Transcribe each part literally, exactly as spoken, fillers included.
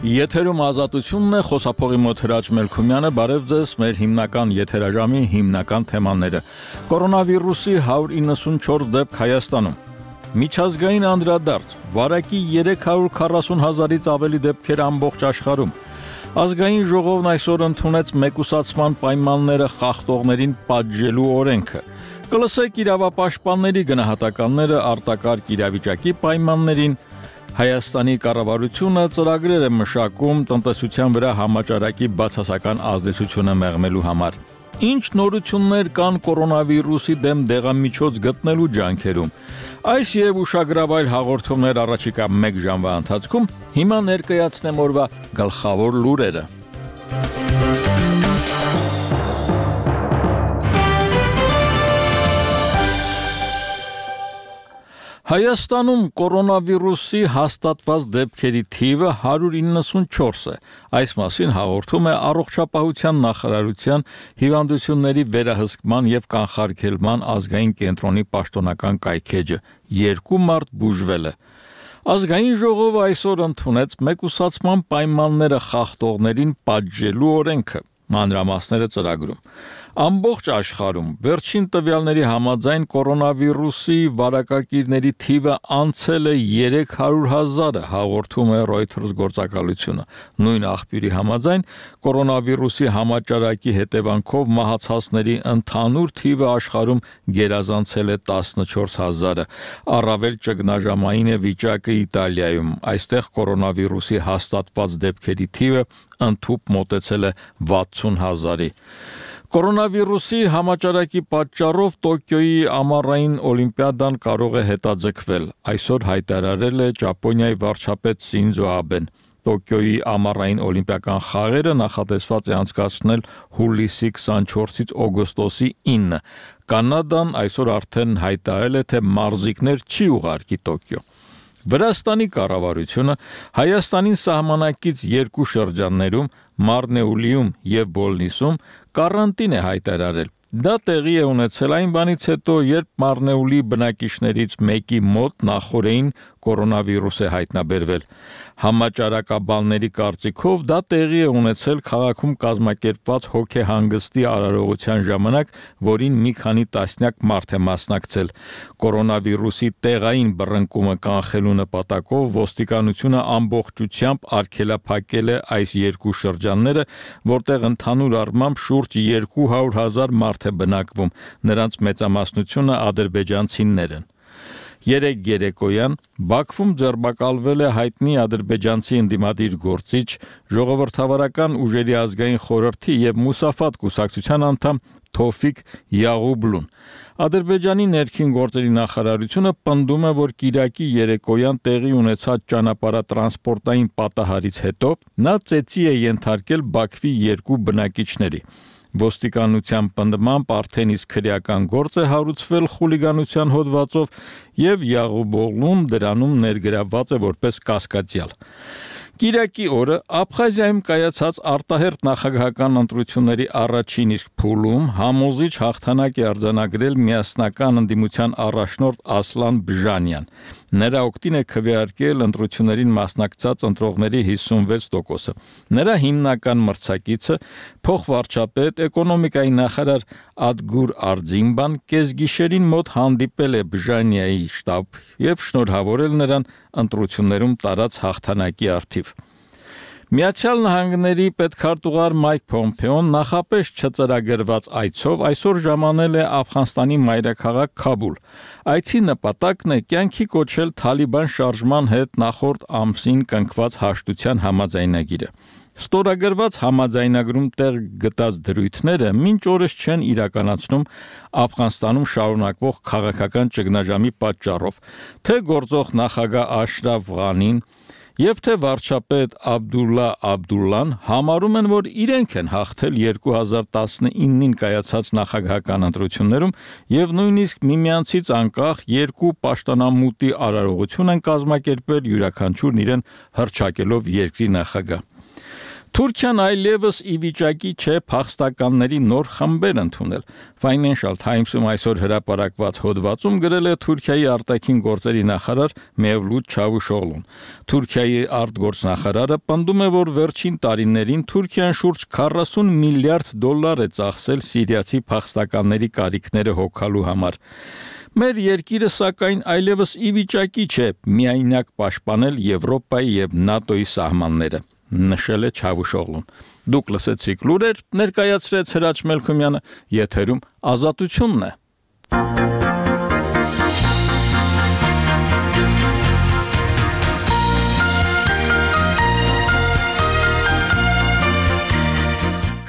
Եթերում ազատությունն է, խոսափողի մոտ Հրաչ Մելքումյանը, բարև ձեզ, մեր հիմնական եթերաժամի հիմնական թեմաները։ Կորոնավիրուսի հարյուր իննսունչորս դեպք Հայաստանում։ Միջազգային անդրադարձ, վարակի երեք հարյուր քառասուն հազարից ավելի դեպքեր ամբողջ աշխարհում։ Ազգային ժողովն այսօր ընդունեց մեկուսացման պայմանները խախտողներին պատժելու օրենքը։ Կլսեք իրավապաշտպանների գնահատականները արտակարգ իրավիճակի պայմաններին։ Հայաստանի կառավարությունը ծրագրեր է մշակում տնտեսության վրա համաճարակի բացասական ազդեցությունը մեղմելու համար։ Ինչ նորություններ կան կորոնավիրուսի դեմ դեղամիջոց գտնելու ջանքերում։ Այս եւ ուշագրավայր հաղորդումներ առաջիկա մեկ ժամվա ընթացքում հիմա ներկայացնեմ օրվա գլխավոր լուրերը։ Հայաստանում կորոնավիրուսի հաստատված դեպքերի թիվը հարյուր իննսունչորս է։ Այս մասին հաղորդում է Առողջապահության նախարարության հիվանդությունների վերահսկման եւ կանխարգելման ազգային կենտրոնի պաշտոնական կայքէջը։ Երկու մարդ բուժվել է։ Ազգային ժողովը այսօր ընդունեց մեկուսացման պայմանները խախտողներին պատժելու օրենքը։ Մանրամասները ծրագրում։ Ամբողջ աշխարհում վերջին տվյալների համաձայն կորոնավիրուսի վարակակիրների թիվը անցել է երեք հարյուր հազարը, հաղորդում է Reuters գործակալությունը։ Նույն աղբյուրի համաձայն կորոնավիրուսի համաճարակի հետևանքով մահացածների ընդհանուր թիվը աշխարհում գերազանցել է տասնչորս հազարը։ Առավել ճգնաժամային է վիճակը Իտալիայում։ Այստեղ կորոնավիրուսի հաստատված դեպքերի թիվը ընդհուպ մոտեցել է վաթսուն հազարի։ Կորոնավիրուսի համաճարակի պատճառով Տոկիոյի ամառային օլիմպիադան կարող է հետաձգվել, այսօր հայտարարել է Ճապոնիայի վարչապետ Սինձո Աբեն։ Տոկիոյի ամառային օլիմպիական խաղերը նախատեսված է անցկացնել հուլիսի քսանչորսից օգոստոսի ինը։ Կանադան այսօր արդեն հայտարարել է, թե մարզիկներ չի ուղարկի Տոկիո։ Վրաստանի կառավարությունը Հայաստանին սահմանակից երկու շրջաններում Մարնեուլիում եւ Բոլնիսում կարանտին է հայտարարել։ Դա տեղի է ունեցել այն բանից հետո, երբ Մարնեուլի բնակիչներից մեկի մոտ նախորդին կորոնավիրուս է հայտնաբերվել։ Համաճարակաբանների կարծիքով դա տեղի է ունեցել քաղաքում կազմակերպված հոգեհանգստի արարողության ժամանակ, որին մի քանի տասնյակ մարդ է մասնակցել։ Կորոնավիրուսի տեղային բռնկումը կանխելու նպատակով ոստիկանությունը ամբողջությամբ արգելափակել է այս երկու շրջանները, որտեղ ընդհանուր առմամբ շուրջ երկու հարյուր հազար մարդ է բնակվում, նրանց մեծամասնությունը ադրբեջանցիներ են։ Երեկ երեկոյան Բաքվում ձերբակալվել է հայտնի ադրբեջանցի ընդդիմադիր գործիչ, ժողովրդավարական ուժերի ազգային խորհրդի եւ Մուսաֆատ կուսակցության անդամ Թոֆիկ Յաղուբլուն։ Ադրբեջանի ներքին գործերի նախարարությունը պնդում է, որ Կիրակի երեկոյան տեղի ունեցած ճանապարհատրանսպորտային պատահարից հետո նա ծեծի է ենթարկել Բաքվի երկու բնակիչների։ Ոստիկանության պնդմամբ արդեն իսկ քրեական գործ է հարուցվել խուլիգանության հոդվածով եւ Յաղուբօղլուն դրանում ներգրավված է որպես կասկածյալ։ Կիրակի օրը Աբխազիայում կայացած արտահերթ նախագահական ընտրությունների առաջին իսկ փուլում համոզիչ հաղթանակ է արձանագրել միասնական ընդդիմության առաջնորդ Ասլան Բժանյան։ Նրա օգտին է քվեարկել ընտրություններին մասնակցած ընտրողների հիսունվեց տոկոսը։ Նրա հիմնական մրցակիցը փոխվարչապետ էկոնոմիկայի նախարար Ադգուր Արձինբան կեսգիշերին մոտ հանդիպել է Բժանյայի շտաբ եւ շնորհավորել նրան ընտրություններում տարած հաղթանակի առթիվ։ Միացյալ Նահանգների պետքարտուղար Մայք Փոմփեոն նախապես չծրագրված այցով այսօր ժամանել է Աֆղանստանի մայրաքաղաք Քաբուլ։ Այցի նպատակն է կյանքի կոչել Թալիբան շարժման հետ նախորդ ամսին կնքված հաշտության համաձայնագիրը։ Ստորագրված համաձայնագրում տեղ գտած դրույթները մինչ օրս չեն իրականացնում Աֆղանստանում շարունակվող քաղաքական ճգնաժամի պատճառով, թե գործող նախագահ Աշրաֆ Ղանին եւ թե վարչապետ Աբդուլլա Աբդուլլան համարում են, որ իրենք են հաղթել երկու հազար տասնինին կայացած նախագահական ընտրություններում եւ նույնիսկ միմյանցից անկախ երկու պաշտոնամուտի արարողություն են կազմակերպել յուրաքանչյուրն իրեն հռչակելով երկրի նախագահ։ Թուրքիան այլևս ի վիճակի չէ փախստականների նոր խմբեր ընդունել։ Financial Times-ում այսօր հրապարակված հոդվածում գրել է Թուրքիայի արտաքին գործերի նախարար Mevlut Çavuşoğlu'n։ Թուրքիայի արտգործնախարարը պնդում է, որ վերջին տարիներին Թուրքիան շուրջ քառասուն միլիարդ դոլար է ծախսել սիրիացի փախստականների կարիքները հոգալու համար։ Մեր երկիրը սակայն այլևս ի վիճակի չէ միայնակ պաշտպանել Եվրոպայի եւ ՆԱՏՕ-ի սահմանները, նշել է Çavuşoğlu'n։ Դուք լսեցիք լուրեր, ներկայացրեց Հրաչ Մելքումյանը, եթերում Ազատությունն է։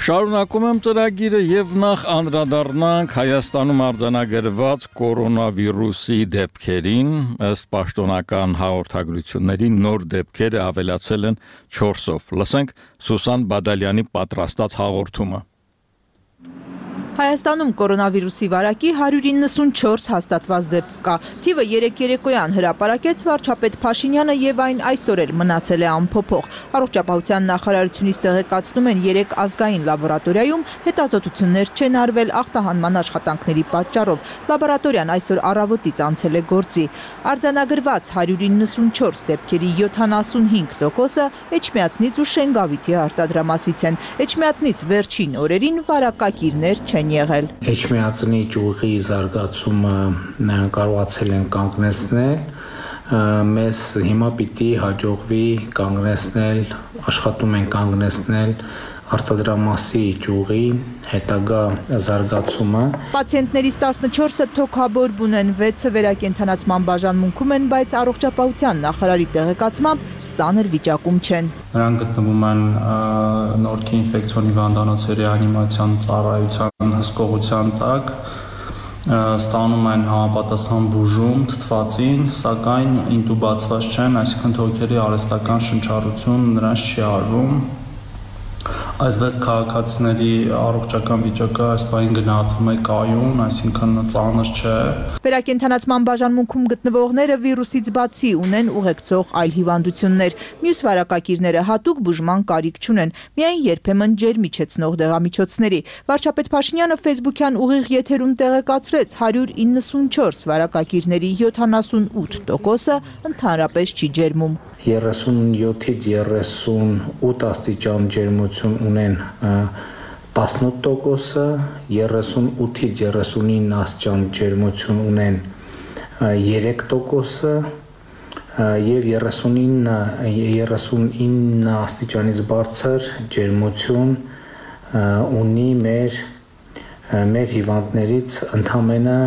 Շարունակում եմ ծրագիրը եւ նախ անդրադառնանք Հայաստանում արձանագրված կորոնավիրուսի դեպքերին, ըստ պաշտոնական հաղորդագրությունների նոր դեպքերը ավելացել են չորսով։ Լսենք Սուսան Բադալյանի պատրաստած հաղորդումը։ Հայաստանում կորոնավիրուսի վարակի հարյուր իննսունչորս հաստատված դեպք կա։ Թիվը երեկ երեկոյան հրապարակեց վարչապետ Փաշինյանը եւ այն այսօր էլ մնացել է անփոփոխ։ Առողջապահության նախարարությունից տեղեկացնում են երեք ազգային լաբորատորիայում հետազոտություններ չեն արվել ախտահանման աշխատանքների պատճառով։ Լաբորատորիան այսօր առավոտից անցել է գործի։ Արձանագրված հարյուր իննսունչորս դեպքերի յոթանասունհինգ տոկոսը Էջմիածնից ու Շենգավիթի արտադրամասից են։ Էջմիածնից վերջին օրերին վարակակիրներ չեն եղել։ Էջմիածնի ճյուղի զարգացումը կարողացել են կանգնեցնել, մեզ հիմա պիտի հաջողվի կանգնեցնել, աշխատում են կանգնեցնել արտադրամասի ճյուղի հետագա զարգացումը։ Պացիենտներից տասնչորսը թոքաբորբ ունեն, վեցը վերակենդանացման բաժանմունքում են, բայց առողջապահության նախարարի տեղեկացմամբ ծանր վիճակում չեն։ Նրանք գտնվում են նորքի ինֆեկցիոնի հիվանդանոցի ռեանիմացիան ծառայության հսկողության տակ, ստանում են համապատասխան բուժում թթվածին, սակայն ինտուբացված չեն, այսինքն թոքերի արհեստական շնչառություն նրանց չի արվում։ Այս վեց քաղաքացիների առողջական վիճակը այս պահին գնահատվում է կայուն, այսինքն ծանր չէ։ Վերակենդանացման բաժանմունքում գտնվողները վիրուսից բացի ունեն ուղեկցող այլ հիվանդություններ։ Մյուս վարակակիրները հատուկ բուժման կարիք չունեն, միայն երբեմն ջերմիջեցնող դեղամիջոցների։ Վարչապետ Փաշինյանը ֆեյսբուքյան ուղիղ եթերում տեղեկացրեց հարյուր իննսունչորս վարակակիրների յոթանասունութ տոկոսը ընդհանրապես չի ջերմում։ երեսունյոթից երեսունութ աստիճան ջերմություն ունեն տասնութ տոկոսը, երեսունութից երեսունինը աստիճան ջերմություն ունեն երեք տոկոսը եւ երեսունինը աստիճանից բարձր ջերմություն ունի մեր մեր հիվանդներից ընդամենը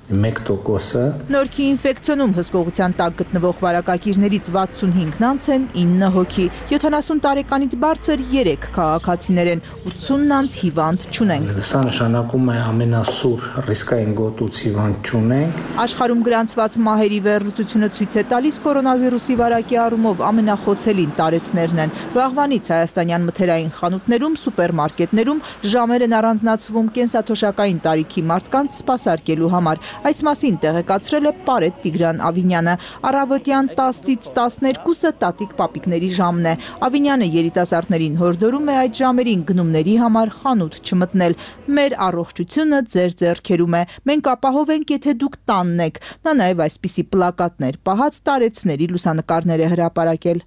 մեկ տոկոսը։ Նորքի ինֆեկցիոնում հսկողության տակ գտնվող վարակակիրներից վաթսունհինգն անց են ինը հոգի, յոթանասուն տարեկանից բարձր երեք քաղաքացիներ են, ութսունն անց հիվանդ չունենք։ Սա նշանակում է ամենասուր ռիսկային գոտուց հիվանդ չունենք։ Աշխարհում գրանցված մահերի վերլուծությունը ցույց է տալիս կորոնավիրուսի վարակի առումով ամենախոցելին տարեցներն են։ Վաղվանից հայաստանյան մթերային խանութներում, սուպերմարկետներում ժամեր են առանձնացվում կենսաթոշակային տարիքի մարդկանց սպասարկելու համար։ Այս մասին տեղեկացրել է Պարետ Տիգրան Ավինյանը։ Առավոտյան տասից տասներկուսը տատիկ պապիկների ժամն է։ Ավինյանը երիտասարդներին հորդորում է այդ ժամերին գնումների համար խանութ չմտնել։ Մեր առողջությունը ձեր ձեռքերում է։ Մենք ապահով ենք, եթե դուք տանն եք։ Նա նաև այսպիսի պլակատներ պահած տարեցների լուսանկարներ է հրապարակել։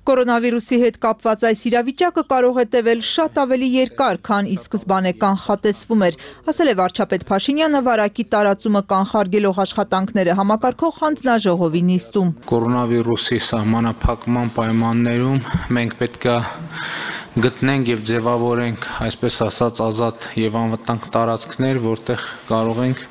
Կորոնավիրուսի հետ կապված այս իրավիճակը կարող է տևել շատ ավելի երկար, քան ի սկզբանե կանխատեսվում էր, ասել է վարչապետ Փաշինյանը վարակի տարածումը կանխարգելող աշխատանքները համակարգող հանձնաժողովի նիստում։ Կորոնավիրուսի սահմանափակման պայմաններում մենք պետք է գտնենք եւ ձևավորենք, այսպես ասած, ազատ եւ անվտանգ տարածքներ, որտեղ կարող ենք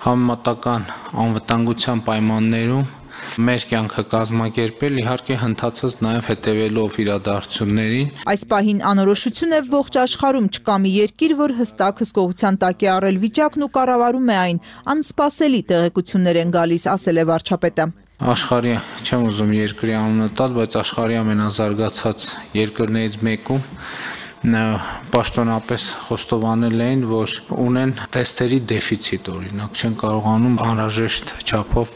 համեմատական անվտանգության պայմաններում մեր կյանքը կազմակերպել, իհարկե հնդածած նաև հետևելով իրադարձություններին։ Այս պահին անորոշություն է ողջ աշխարհում, չկա մի երկիր, որ հստակ հսկողության տակ է առել վիճակն ու կառավարում է այն։ Անսպասելի տեղեկություններ են գալիս, ասել է վարչապետը։ Աշխարհի, չեմ ուզում երկրի անունը տալ, բայց աշխարհի ամենազարգացած երկրներից մեկում պաշտոնապես խոստովանել էին, որ ունեն թեստերի դեֆիցիտ, օրինակ չեն կարողանում անհրաժեշտ չափով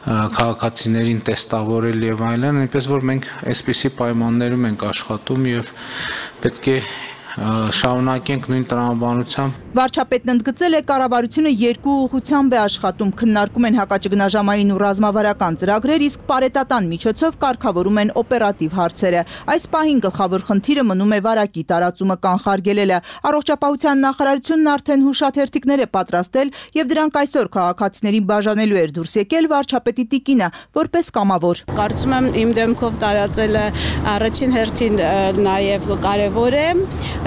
քաղաքացիներին տեստավորել եւ այլն, այնպես որ մենք այսպիսի պայմաններում ենք աշխատում եւ պետք է շարունակենք նույն տրամաբանությամբ։ Վարչապետն ընդգծել է կառավարությունը երկու ուղղությամբ է աշխատում, քննարկում են հակաճգնաժամային ու ռազմավարական ծրագրեր, իսկ պարետատան միջոցով կարգավորում են օպերատիվ հարցերը։ Այս պահին գլխավոր խնդիրը մնում է վարակի տարածումը կանխարգելելը։ Առողջապահության նախարարությունն արդեն հուշաթերթիկներ է պատրաստել եւ դրանք այսօր քաղաքացիներին բաժանելու էր դուրս եկել վարչապետի տիկինը որպես կամավոր։ Կարծում եմ իմ դեմքով տարածելը առաջին հերթին նաեւ կարեւոր է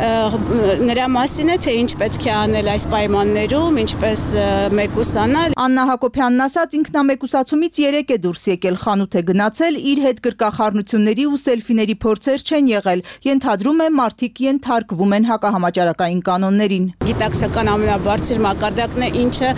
նրա մասին է, թե ինչ պետք է անել այս պայմաններում, ինչպես մեկուսանալ։ Աննա Հակոբյանն ասաց, ինքնամեկուսացումից երեք է դուրս եկել, խանութ է գնացել, իր հետ գրկախառնությունների ու սելֆիների փորձեր չեն եղել։ Ենթադրում է, մարդիկ ենթարկվում են հակահամաճարակային կանոններին։ Գիտակցական ամենաբարձր մակարդակն է, ինչը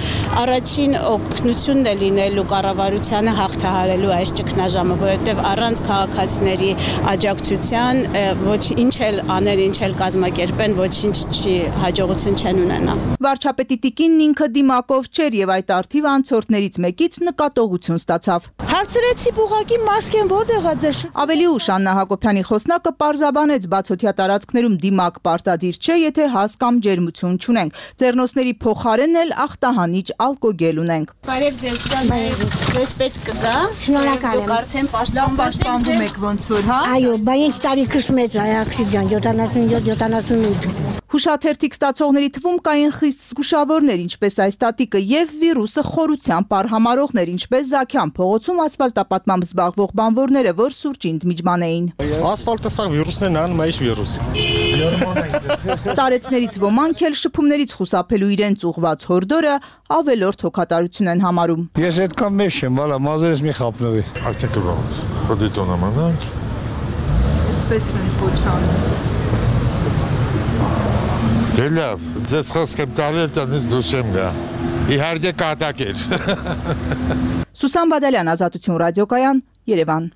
առաջին օգնությունն է լինելու կառավարությանը հաղթահարելու այս ճգնաժամը, որովհետև առանց քաղաքացիների աջակցության ոչ ինչ էլ անել, ինչ էլ կազմակերպեն, ոչինչ չի, հաջողություն չեն ունենա։ Վարչապետի տիկինն ինքը դիմակով չէր եւ այդ արդիվ անցորդներից մեկից նկատողություն ստացավ։ Հարցրեցի ուղղակի մասկեն որտեղ է ձեր։ Ավելի ուշ Աննա Հակոբյանի խոսնակը պարզաբանեց բացօթյա տարածքներում դիմակ պարտադիր չէ, եթե հազ կամ ջերմություն չունենք։ Ձեռնոցների փոխարեն էլ ախտահանիչ ալկոգել ունենք։ Բարև ձեզ, ձեզ պետք կգա։ Շնորհակալ եմ։ Դուք արդեն պաշտպանվում եք ոնց որ, հա։ Այո, բայց տարիքս մեծ է, աղջիկան, յոթանասունյոթ յոթանասունութ։ Հուշաթերթիկ ստացողների թվում կային խիստ զգուշավորներ, ինչպես այս տատիկը, եւ վիրուսը խորությամբ արհամարողներ, ինչպես Զաքյան փողոցում ասֆալտապատմամբ զբաղվող բանվորները, որ սուրճի ընդմիջման էին։ Ասֆալտը սա վիրուսներն անում է, ինչ վիրուս։ Տարեցներից ոմանք էլ շփումներից խուսափելու իրենց ուղված հորդորը ավելորդ հոգատարություն են համարում։ Ես այդքան մեծ չեմ, վալա, մազերս մի խափնովի։ Այսինքն ոնց, պրոդիտոնը մանանք։ Այդպես են փոչանում։ Դե լավ, ձեզ խոսք եմ տալել, տնից դուրս եմ գա։ Իհարկե կատակ էր։ Սուսան Բադալյան, Ազատություն ռադիոկայան, Երևան։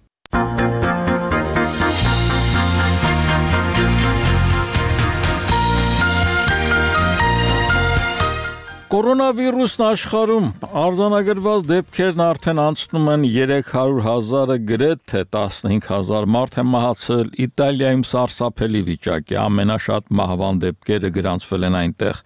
Կորոնավիրուսն աշխարհում արձանագրված դեպքերն արդեն անցնում են երեք հարյուր հազարը, գրեթե տասնհինգ հազար մարդ է մահացել։ Իտալիայում սարսափելի վիճակ է, ամենաշատ մահվան դեպքերը գրանցվել են այնտեղ։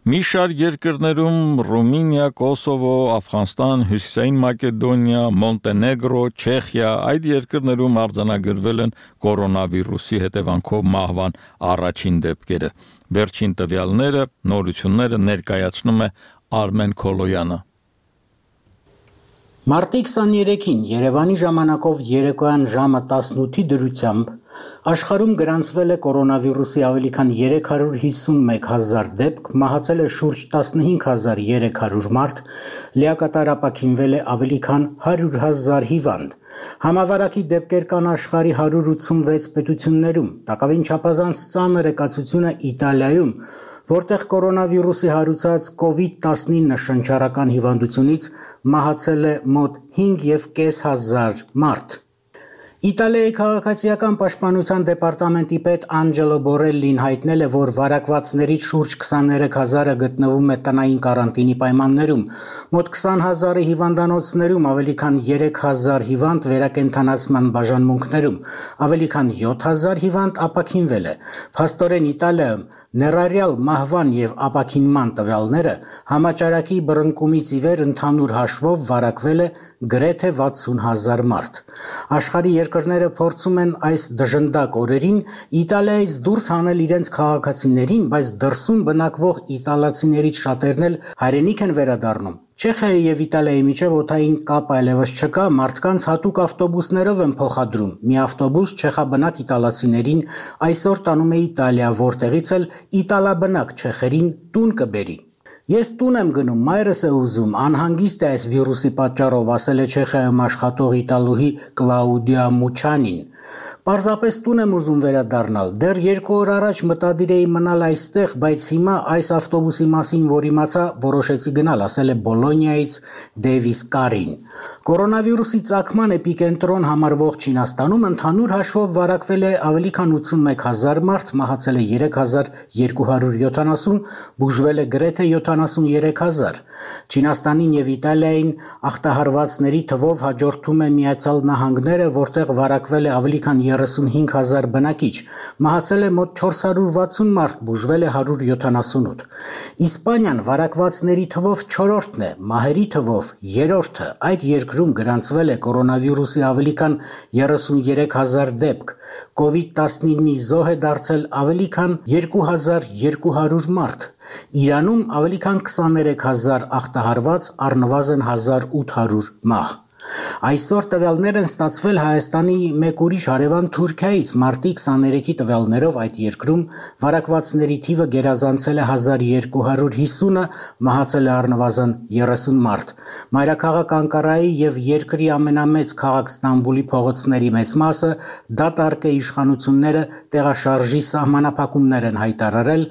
Մի շարք երկրներում Ռումինիա, Կոսովո, Աֆղանստան, Հյուսիսային Մակեդոնիա, Մոնտենեգրո, Չեխիա, այդ երկրներում արձանագրվել են կորոնավիրուսի հետևանքով մահվան առաջին դեպքերը։ Վերջին տվյալները, նորությունները ներկայացնում է Արմեն Քոլոյանը։ Մարտի քսաներեքին Երևանի ժամանակով երեկոյան ժամը տասնութի դրությամբ աշխարհում գրանցվել է կորոնավիրուսի ավելի քան երեք հարյուր հիսունմեկ հազար դեպք, մահացել է շուրջ տասնհինգ հազար երեք հարյուր մարդ, լիակատար ապաքինվել է ավելի քան հարյուր հազար հիվանդ։ Համավարակի դեպքեր կան աշխարհի հարյուր ութսունվեց պետություններում, տակավին չափազանց ծանր է կացությունը Իտալիայում, որտեղ կորոնավիրուսի հարուցած կովիդ տասնինը շնչառական հիվանդությունից մահացել է մոտ հինգ եւ կես հազար մարդ։ Իտալիայի քաղաքացիական պաշտպանության դեպարտամենտի պետ Անջելո Բորելլին հայտնել է, որ վարակվածներից շուրջ քսաներեք հազարը գտնվում է տնային կարանտինի պայմաններում, մոտ քսան հազարը հիվանդանոցներում, ավելի քան երեք հազար հիվանդ վերակենդանացման բաժանմունքներում, ավելի քան յոթ հազար հիվանդ ապաքինվել է։ Փաստորեն Իտալիայում ներառյալ մահվան եւ ապաքինման տվյալները համաճարակի բռնկումից ի վեր ընդհանուր հաշվով վարակվել է գրեթե վաթսուն հազար մարդ։ Աշխարհի երկրները փորձում են այս դժնդակ օրերին Իտալիայից դուրս հանել իրենց քաղաքացիներին, բայց դրսում բնակվող իտալացիներից շատերն էլ հայրենիք են վերադառնում։ Չեխիայի եւ Իտալիայի միջև օդային կապ այլևս չկա, մարդկանց հատուկ ավտոբուսներով են փոխադրում։ Մի ավտոբուս չեխաբնակ իտալացիներին այսօր տանում է Իտալիա, որտեղից էլ իտալաբնակ չեխերին տուն կբերի։ Ես տուն եմ գնում, մայրս է ուզում, անհանգիստ է այս վիրուսի պատճառով, ասել է Չեխիայում աշխատող իտալուհի Կլաուդիա Մուչանին։ Պարզապես տուն եմ ուզում վերադառնալ, դեռ երկու օր առաջ մտադիր էի մնալ այստեղ, բայց հիմա այս ավտոբուսի մասին, որ իմացա, որոշեցի գնալ, ասել է Բոլոնիայից Դեվիս Կարին։ Կորոնավիրուսի ծագման էպիկենտրոն համարվող Չինաստանում ընդհանուր հաշվով վարակվել է ավելի քան ութսունմեկ հազար մարդ, մահացել է երեք հազար երկու հարյուր յոթանասուն, բուժվել է գրեթե յոթ քանասուններեք հազար։ Չինաստանին եւ Իտալիային ախտահարվածների թվով հաջորդում է Միացյալ Նահանգները, որտեղ վարակվել է ավելի քան երեսունհինգ հազար բնակիչ, մահացել է մոտ չորս հարյուր վաթսուն մարդ, բուժվել է հարյուր յոթանասունութ։ Իսպանիան վարակվածների թվով չորրորդն է, մահերի թվով երրորդը։ Այդ երկրում գրանցվել է կորոնավիրուսի ավելի քան երեսուներեք հազար դեպք։ կովիդ տասնինի զոհ է դարձել ավելի քան երկու հազար երկու հարյուր մարդ։ Իրանում ավելի քան քսաներեք հազար ախտահարված, առնվազն հազար ութ հարյուր մահ։ Այսօր տվյալներ են ստացվել Հայաստանի մեկ ուրիշ հարևան Թուրքիայից։ Մարտի քսաներեքի տվյալներով այդ երկրում վարակվածների թիվը գերազանցել է հազար երկու հարյուր հիսունը, մահացել է առնվազն երեսուն մարդ։ Մայրաքաղաք Անկարայի եւ երկրի ամենամեծ քաղաք Ստամբուլի փողոցների մեծ մասը դատարկ է, իշխանությունները տեղաշարժի սահմանափակումներ են հայտարարել։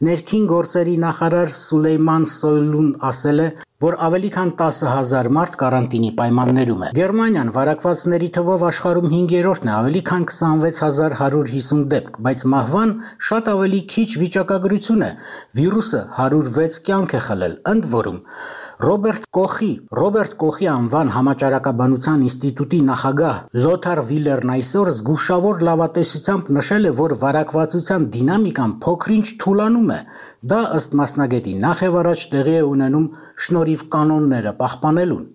Ներքին գործերի նախարար Սուլեյման Սոյլուն ասել է, որ ավելի քան տասը հազար մարդ կարանտինի պայմաններում է։ Գերմանիան վարակվածների թվով աշխարհում հինգերորդն է, ավելի քան քսանվեց հազար հարյուր հիսուն դեպք, բայց մահվան շատ ավելի քիչ վիճակագրություն է։ Վիրուսը հարյուր վեց կյանք է խլել, ընդ որում Ռոբերտ Կոխի Ռոբերտ Կոխի անվան համաճարակաբանության ինստիտուտի նախագահ Լոթար Վիլերն այսօր զգուշավոր լավատեսությամբ նշել է, որ վարակվածության դինամիկան փոքրինչ թուլանում է։ Դա ըստ մասնագետի նախևառաջ տեղի է ունենում շնորհիվ կանոնները պահպանելուն։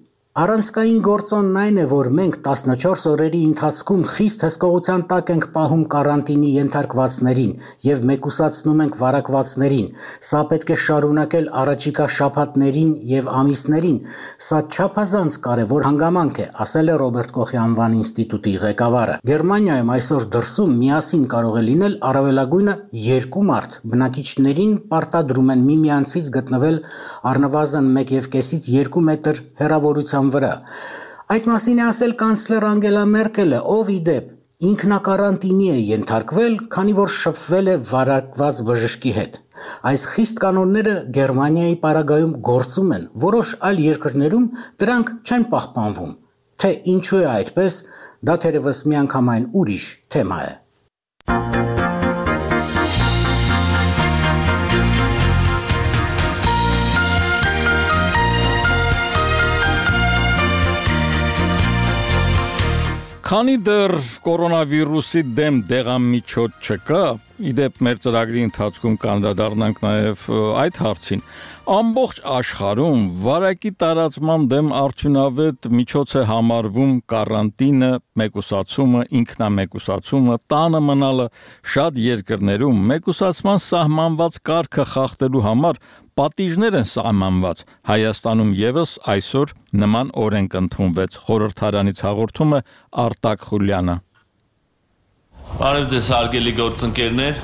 Առանցքային գործոնն այն է, որ մենք տասնչորս օրերի ընթացքում խիստ հսկողության տակ ենք պահում կարանտինի ենթարկվածներին եւ մեկուսացնում ենք վարակվածներին։ Սա պետք է շարունակել առաջիկա շաբաթներին եւ ամիսներին։ Սա չափազանց կարեւոր հանգամանք է, ասել է Ռոբերտ Կոխի անվան ինստիտուտի ղեկավարը։ Գերմանիայում այսօր դրսում միասին կարող է լինել առավելագույնը երկու մարդ։ Բնակիչներին պարտադրում են միմյանցից գտնվել առնվազն մեկ եւ կեսից երկու մետր հեռավորության վրա։ Այդ մասին է ասել կանցլեր Անգելա Մերկելը, ով ի դեպ ինքնակարանտինի է ենթարկվել, քանի որ շփվել է վարակված բժշկի հետ։ Այս խիստ կանոնները Գերմանիայի պարագայում գործում են, որոշ այլ երկրներում դրանք չեն պահպանվում։ Թե ինչու է այդպես, դա թերևս միանգամայն ուրիշ թեմա է։ Քանի դեռ կորոնավիրուսի դեմ դեղամիջոց չկա, իդեպ մեր ծրագրի ընթացքում կանդրադառնանք նաև այդ հարցին, ամբողջ աշխարհում վարակի տարածման դեմ արդյունավետ միջոց է համարվում կարանտինը, մեկուսացումը, ինքնամեկուսացումը, տանը մնալը։ Շատ երկրներում մեկուսացման սահմանված կարգը խախտելու համար պատիժներ են սահմանված։ Հայաստանում եւս այսօր նման օրենք ընդունվեց։ Խորհրդարանից հաղորդում է Արտակ Խուլյանը։ Բարև ձեզ հարգելի գործընկերներ։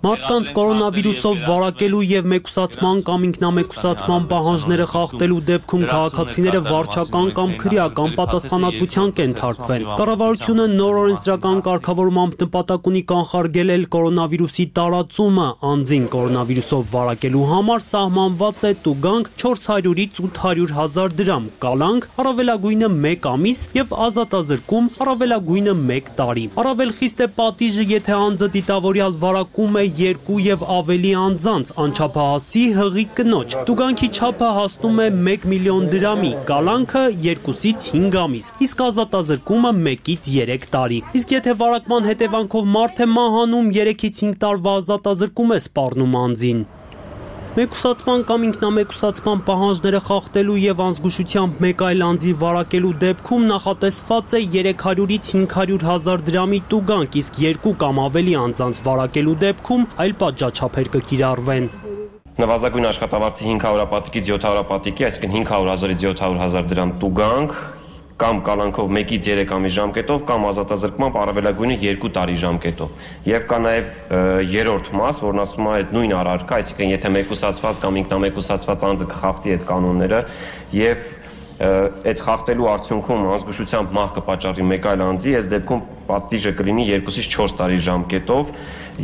Մարդկանց կորոնավիրուսով վարակելու եւ մեկուսացման կամ ինքնամեկուսացման պահանջները խախտելու դեպքում քաղաքացիները վարչական կամ քրեական պատասխանատվության կենթարկվեն։ Կառավարությունը նոր օրենսդրական կարգավորմամբ նպատակ ունի կանխարգելել կորոնավիրուսի տարածումը, անձին կորոնավիրուսով վարակելու համար սահմանված է տուգանք չորս հարյուրից ութ հարյուր հազար դրամ, կալանք առավելագույնը մեկ ամիս եւ ազատազրկում առավելագույնը մեկ տարի։ Առավել խիստ է պատիժը, եթե անձը դիտավորյալ վարակում է երկու եւ ավելի անձանց անչափահասի հղի կնոջ։ Տուգանքի չափը հասնում է մեկ միլիոն դրամի, կալանքը երկուսից հինգ ամիս, իսկ ազատազրկումը մեկից երեք տարի։ Իսկ եթե վարակման հետևանքով մարդ է մահանում, երեքից հինգ տարվա ազատազրկում է սպառնում անձին։ Մեկուսացման կամ ինքնամեկուսացման պահանջները խախտելու եւ անզգուշությամբ մեկ այլ անձի վարակելու դեպքում նախատեսված է երեք հարյուրից հինգ հարյուր հազար դրամի տուգանք, իսկ երկու կամ ավելի անձանց վարակելու դեպքում այլ պատժաչափեր կկիրառվեն։ Նվազագույն աշխատավարձի հինգ հարյուրապատիկից յոթ հարյուրապատիկի, այսինքն հինգ հարյուր հազարից յոթ հարյուր հազար դրամ տուգանք, կամ կալանքով մեկից երեք ամիս ժամկետով կամ ազատազրկմամբ առավելագույնը երկու տարի ժամկետով։ Եվ կա նաև երրորդ մաս, որն ասում է այդ նույն առարկա, այսինքն եթե մեկուսացված կամ ինքնամեկուսացված անձը կխախտի այդ կանոնները եւ այդ խախտելու արդյունքում անզգուշությամբ մահ կպատճառի մեկ այլ անձի, այս դեպքում պատիժը կլինի երկուսից չորս տարի ժամկետով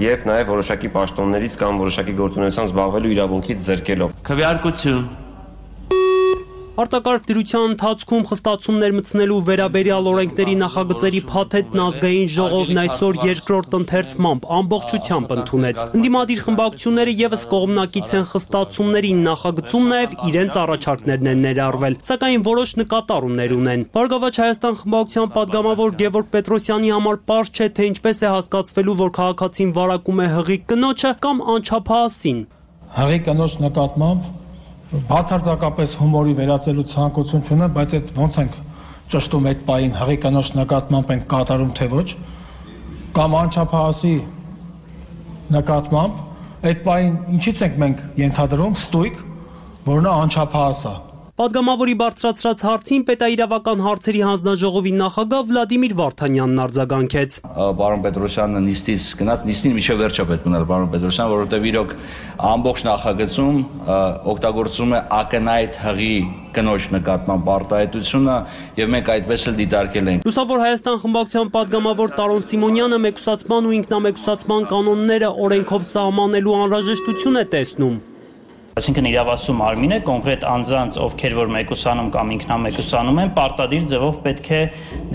եւ նաեւ որոշակի պաշտոններից կամ որոշակի գործունեությամբ զբաղվելու իրավունքից զրկելով։ Քվեարկություն։ Արտակարգ դրության ընթացքում խստացումներ մտցնելու վերաբերյալ օրենքների նախագծերի փաթեթն ազգային ժողովն այսօր երկրորդ ընթերցմամբ ամբողջությամբ ընդունեց։ Ընդդիմադիր խմբակցությունները եւս կողմնակից են խստացումներին, նախագծում նաեւ իրենց առաջարկներն են ներառվել, սակայն որոշ նկատառումներ ունեն։ Բարգավաճ Հայաստան խմբակցության падգամավոր Գևորգ Պետրոսյանի համար պարզ չէ, թե ինչպես է հասկացվելու, որ քաղաքացին վարակում է հղի կնոջը կամ անչափահասին։ Հղի կնոջ նկատմամբ բացարձակապես հումորի վերածելու ցանկություն չունեմ, բայց այդ ոնց ենք ճշտում այդ պահին հղի կնոջ նկատմամբ ենք կատարում թե ոչ, կամ անչափահասի նկատմամբ այդ պահին ինչից ենք մենք ենթադրում ստույգ, որ նա անչափահաս է։ Պատգամավորի բարձրացրած հարցին պետաիրավական հարցերի հանձնաժողովի նախագահ Վլադիմիր Վարդանյանն արձագանքեց։ Պարոն Պետրոսյանը նիստից գնաց, նիստին միջև վերջը պետք ուներ պարոն Պետրոսյան, որովհետև իրոք ամբողջ նախագծում օգտագործում է ակնհայտ հղի կնոջ նկատմամբ արտահայտությունը եւ մենք այդպես էլ դիտարկել ենք։ Լուսավոր Հայաստան խմբակցության падգամավոր Տարոն Սիմոնյանը մեկուսացման ու ինքնամեկուսացման կանոնները օրենքով սահմանելու անհրաժեշտություն է տեսնում։ Այսինքն իրավասու մարմինը կոնկրետ անձանց, ովքեր որ մեկուսանում կամ ինքնամեկուսանում են, պարտադիր ձևով պետք է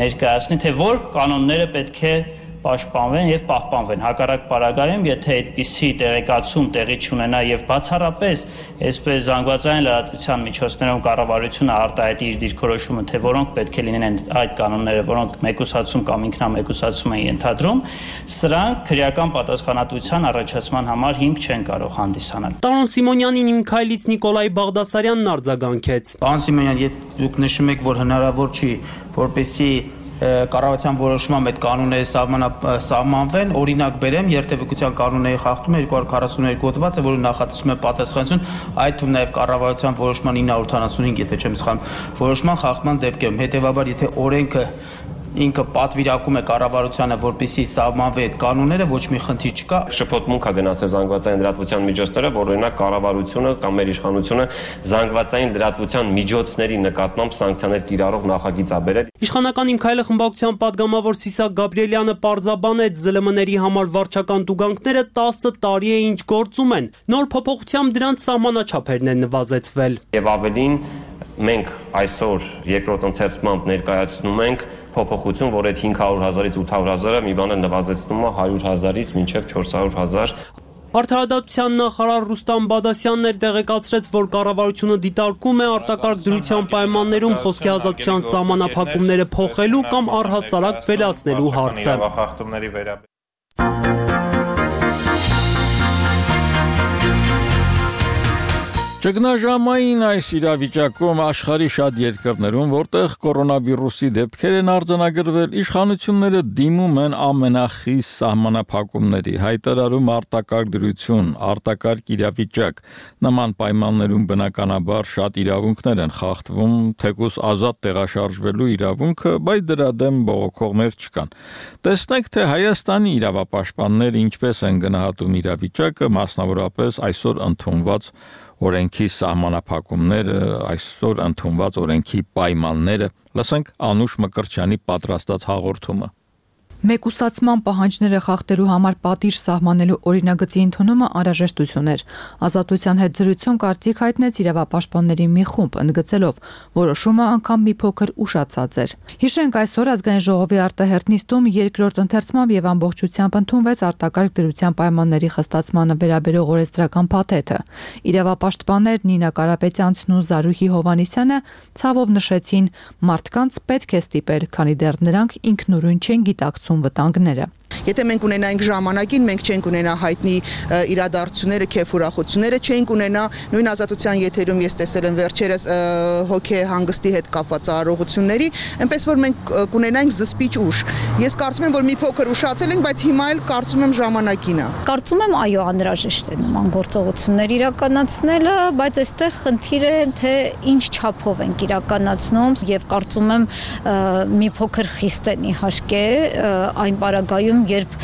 ներկայացնի, թե որ կանոնները պետք է պաշտպանվեն եւ պահպանվեն։ Հակառակ պարագայում, եթե այդպիսի տեղեկացում տեղի չունենա եւ բացառապես այսպես զանգվածային լրատվության միջոցներով կառավարությունը արտահայտի իր դիրքորոշումը, թե որոնք պետք է լինեն այդ կանոնները, որոնք մեկուսացում կամ ինքնամեկուսացում են ենթադրում, սրանք քրեական պատասխանատվության առաջացման համար հիմք չեն կարող հանդիսանալ։ Տարոն Սիմոնյանին իմ քայլից Նիկոլայ Բաղդասարյանն արձագանքեց։ Պարոն Սիմոնյան, եթե դուք նշում եք, որ հնարավոր չի, որպեսզի կառավարության որոշմամբ այդ կանոնները սահմանվեն, օրինակ բերեմ, երթևեկության կանոնների խախտումը երկու հարյուր քառասունուերկու հոդված է, որը նախատեսում է պատասխանատվություն, այդ թվում նաև կառավարության որոշման ինը հարյուր ութանասունհինգ, եթե չեմ սխալվում, որոշման խախտման դեպքերում, հետևաբար եթե օրենքը ինքը պատվիրակում է կառավարությանը, որպեսզի սահմանվի այդ կանոնները, ոչ մի խնդիր չկա։ Շփոթմունք է գնացել զանգվածային լրատվության միջոցները, որ օրինակ կառավարությունը կամ մեր իշխանությունը զանգվածային լրատվության միջոցների նկատմամբ սանկցիաներ կիրառող նախագիծ է բերել։ Իշխանական Իմ քայլը խմբակցության падգամավոր Սիսակ Գաբրիելյանը պարզաբանեց ԶԼՄ-ների համար վարչական տուգանքները տասը տարի է ինչ գործում են։ Նոր փոփոխությամբ դրանց սահմանաչափերն են նվազեցվել։ Եվ ավելին մենք այսօր երկրորդ ընթերցմամբ ներկայացնում ենք փոփոխություն, որ այդ հինգ հարյուր հազարից ութ հարյուր հազարը մի բան է նվազեցնում է հարյուր հազարից մինչև չորս հարյուր հազար։ Արդարադատության նախարար Ռուստամ Բադասյանն էր տեղեկացրեց, որ կառավարությունը դիտարկում է արտակարգ դրության պայմաններում խոսքի ազատության սահմանափակումները փոխելու կամ առհասարակ վերացնելու հարցը։ Ճգնաժամային այս իրավիճակում աշխարհի շատ երկրներում, որտեղ կորոնավիրուսի դեպքեր են արձանագրվել, իշխանությունները դիմում են ամենախիստ սահմանափակումների, հայտարարում արտակարգ դրություն, արտակարգ իրավիճակ։ Նման պայմաններում բնականաբար շատ իրավունքներ են խախտվում, թեկուզ ազատ տեղաշարժվելու իրավունքը, բայց դրա դեմ բողոքողներ չկան։ Տեսնենք, թե Հայաստանի իրավապաշտպանները ինչպես են գնահատում իրավիճակը, մասնավորապես այսօր ընդունված օրենքի սահմանափակումները, այսօր ընդունված օրենքի պայմանները։ Լսենք Անուշ Մկրտչյանի պատրաստած հաղորդումը։ Մեկուսացման պահանջները խախտելու համար պատիժ սահմանելու օրինագծի ընդունումը անհրաժեշտություն էր։ Ազատության հետ զրույցում կարծիք հայտնեց իրավապաշտպանների մի խումբ, ընդգծելով, որոշումը անգամ մի փոքր ուշացած էր։ Հիշենք, այսօր ազգային ժողովի արտահերթ նիստում երկրորդ ընթերցմամբ եւ ամբողջությամբ ընդունվեց արտակարգ դրության պայմանների խստացմանը վերաբերող օրենսդրական փաթեթը։ Իրավապաշտպաններ Նինա Կարապետյանցն ու Զարուհի Հովհաննիսյանը ցավով նշեցին, մարդկանց պետք է ստիպել, քանի դեռ նրանք ինքնուրույն չեն գիտակցում վտանգները։ Եթե մենք ունենայինք ժամանակին, մենք չենք ունենա հայտնի իրադարձությունները, քեֆ ուրախությունները, չենք ունենա նույն ազատության եթերում ես տեսել եմ վերջերս հոգե հանգստի հետ կապված արարողությունների, այնպես որ մենք կունենայինք զսպիչ ուժ։ Ես կարծում եմ, որ մի փոքր ուշացել ենք, բայց հիմա էլ կարծում եմ ժամանակին է։ Կարծում եմ, այո, անհրաժեշտ է նման գործողություններ իրականացնելը, բայց այստեղ խնդիրը թե ինչ չափով ենք իրականացնում եւ կարծում եմ մի փոքր խիստ են իհարկե այն պարագայում, երբ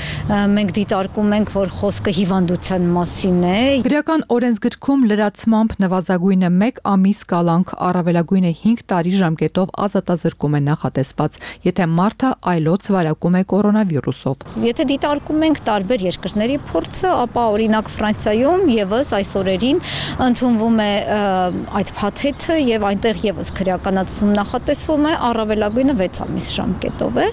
մենք դիտարկում ենք, որ խոսքը հիվանդության մասին է։ Քրեական օրենսգրքում լրացմամբ նվազագույնը մեկ ամիս կալանք, առավելագույնը հինգ տարի ժամկետով ազատազրկում է նախատեսված, եթե մարդը այլոց վարակում է կորոնավիրուսով։ Եթե դիտարկում ենք տարբեր երկրների փորձը, ապա օրինակ Ֆրանսիայում եւս այս օրերին ընդունվում է այդ փաթեթը եւ այնտեղ եւս քրեականացում նախատեսվում է, առավելագույնը վեց ամիս ժամկետով է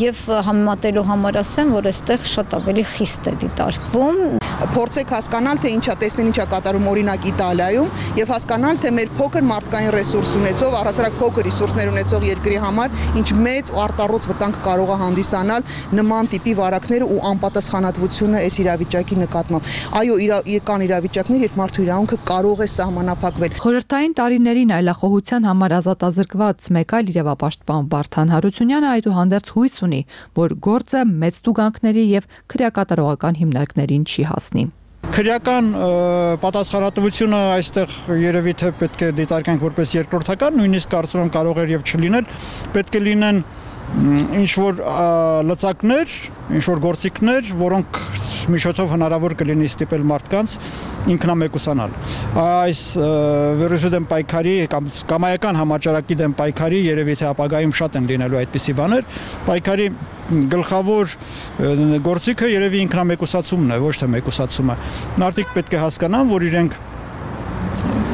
եւ համեմատելու համար ասեմ, որ այստեղ շատ ավելի խիստ է դիտարկվում։ Փորձեք հասկանալ, թե ինչա տեսնեն, ինչա կատարում օրինակ Իտալիայում եւ հասկանալ, թե մեր փոքր մարդկային ռեսուրս ունեցող, առհասարակ փոքր ռեսուրսներ ունեցող երկրի համար ինչ մեծ ու արտառոց վտանգ կարող է հանդիսանալ նման տիպի վարակները ու անպատասխանատվությունը այս իրավիճակի նկատմամբ։ Այո, իր կան իրավիճակներ, երբ մարդու իրավունքը կարող է սահմանափակվել։ Խորհրդային տարիներին այլախոհության համար ազատազրկված մեկ այլ իրավապաշտպան Վարդան Հարությունյանը այդուհանդերձ հույս ունի, որ գործը մեծ տուգանքների եւ քրեակատարողական հիմնարկներին չի հասնի։ Քրեական պատասխանատվությունը այստեղ երևի թե պետք է դիտարկենք որպես երկրորդական, նույնիսկ կարծում եմ կարող էր եւ չլինել, պետք է լինեն ինչ որ լծակներ, ինչ որ գործիքներ, որոնք միջոցով հնարավոր կլինի ստիպել մարդկանց ինքնամեկուսանալ։ Այս վիրուսի դեմ պայքարի կամ կամայական համաճարակի դեմ պայքարի երևի թե ապագայում շատ են լինելու այդպիսի բաներ, պայքարի գլխավոր գործիքը երևի ինքնամեկուսացումն է, ոչ թե մեկուսացումը։ Մարդիկ պետք է հասկանան, որ իրենք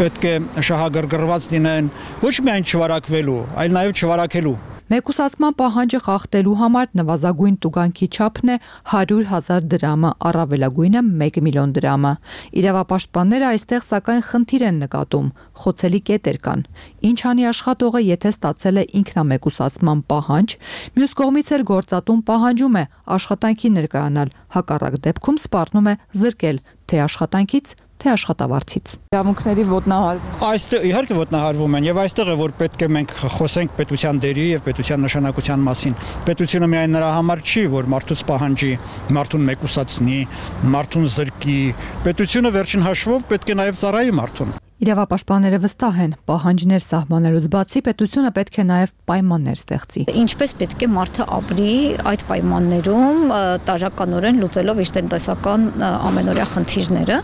պետք է շահագրգռված լինեն ոչ միայն չվարակվելու, այլ նաև չվարակելու։ Մեկուսացման պահանջը խախտելու համար նվազագույն տուգանքի չափն է հարյուր հազար դրամը, առավելագույնը մեկ միլիոն դրամը։ Իրավապաշտպանները այստեղ սակայն խնդիր են նկատում, խոցելի կետեր կան։ Ինչ անի աշխատողը, եթե ստացել է ինքնամեկուսացման պահանջ, մյուս կողմից էլ գործատուն պահանջում է աշխատանքի ներկայանալ, հակառակ դեպքում սպառնում է զրկել թե աշխատանքից, թե աշխատավարձից։ Իրավունքների ոտնահարվում։ Այստեղ իհարկե ոտնահարվում են եւ այստեղ է որ պետք է մենք խոսենք պետության դերի եւ պետության նշանակության մասին։ Պետությունը միայն նրա համար չի, որ մարդուց պահանջի, մարդուն մեկուսացնի, մարդուն զրկի։ Պետությունը վերջին հաշվով պետք է նաեւ ծառայի մարդուն։ Իրավապաշտպանները վստահ են, պահանջներ սահմանելուց բացի պետությունը պետք է նաև պայմաններ ստեղծի։ Ինչպես պետք է մարդը ապրի այդ պայմաններում, տարականորեն լուծելով իր տնտեսական ամենօրյա խնդիրները։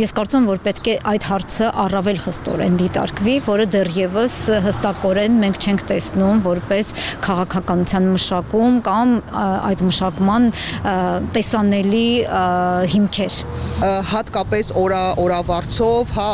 Ես կարծում եմ, որ պետք է այդ հարցը առավել խստորեն դիտարկվի, որը դեռևս հստակորեն մենք չենք տեսնում որպես քաղաքականության մշակում կամ այդ մշակման տեսանելի հիմքեր։ Հատկապես օրա օրավարձով հա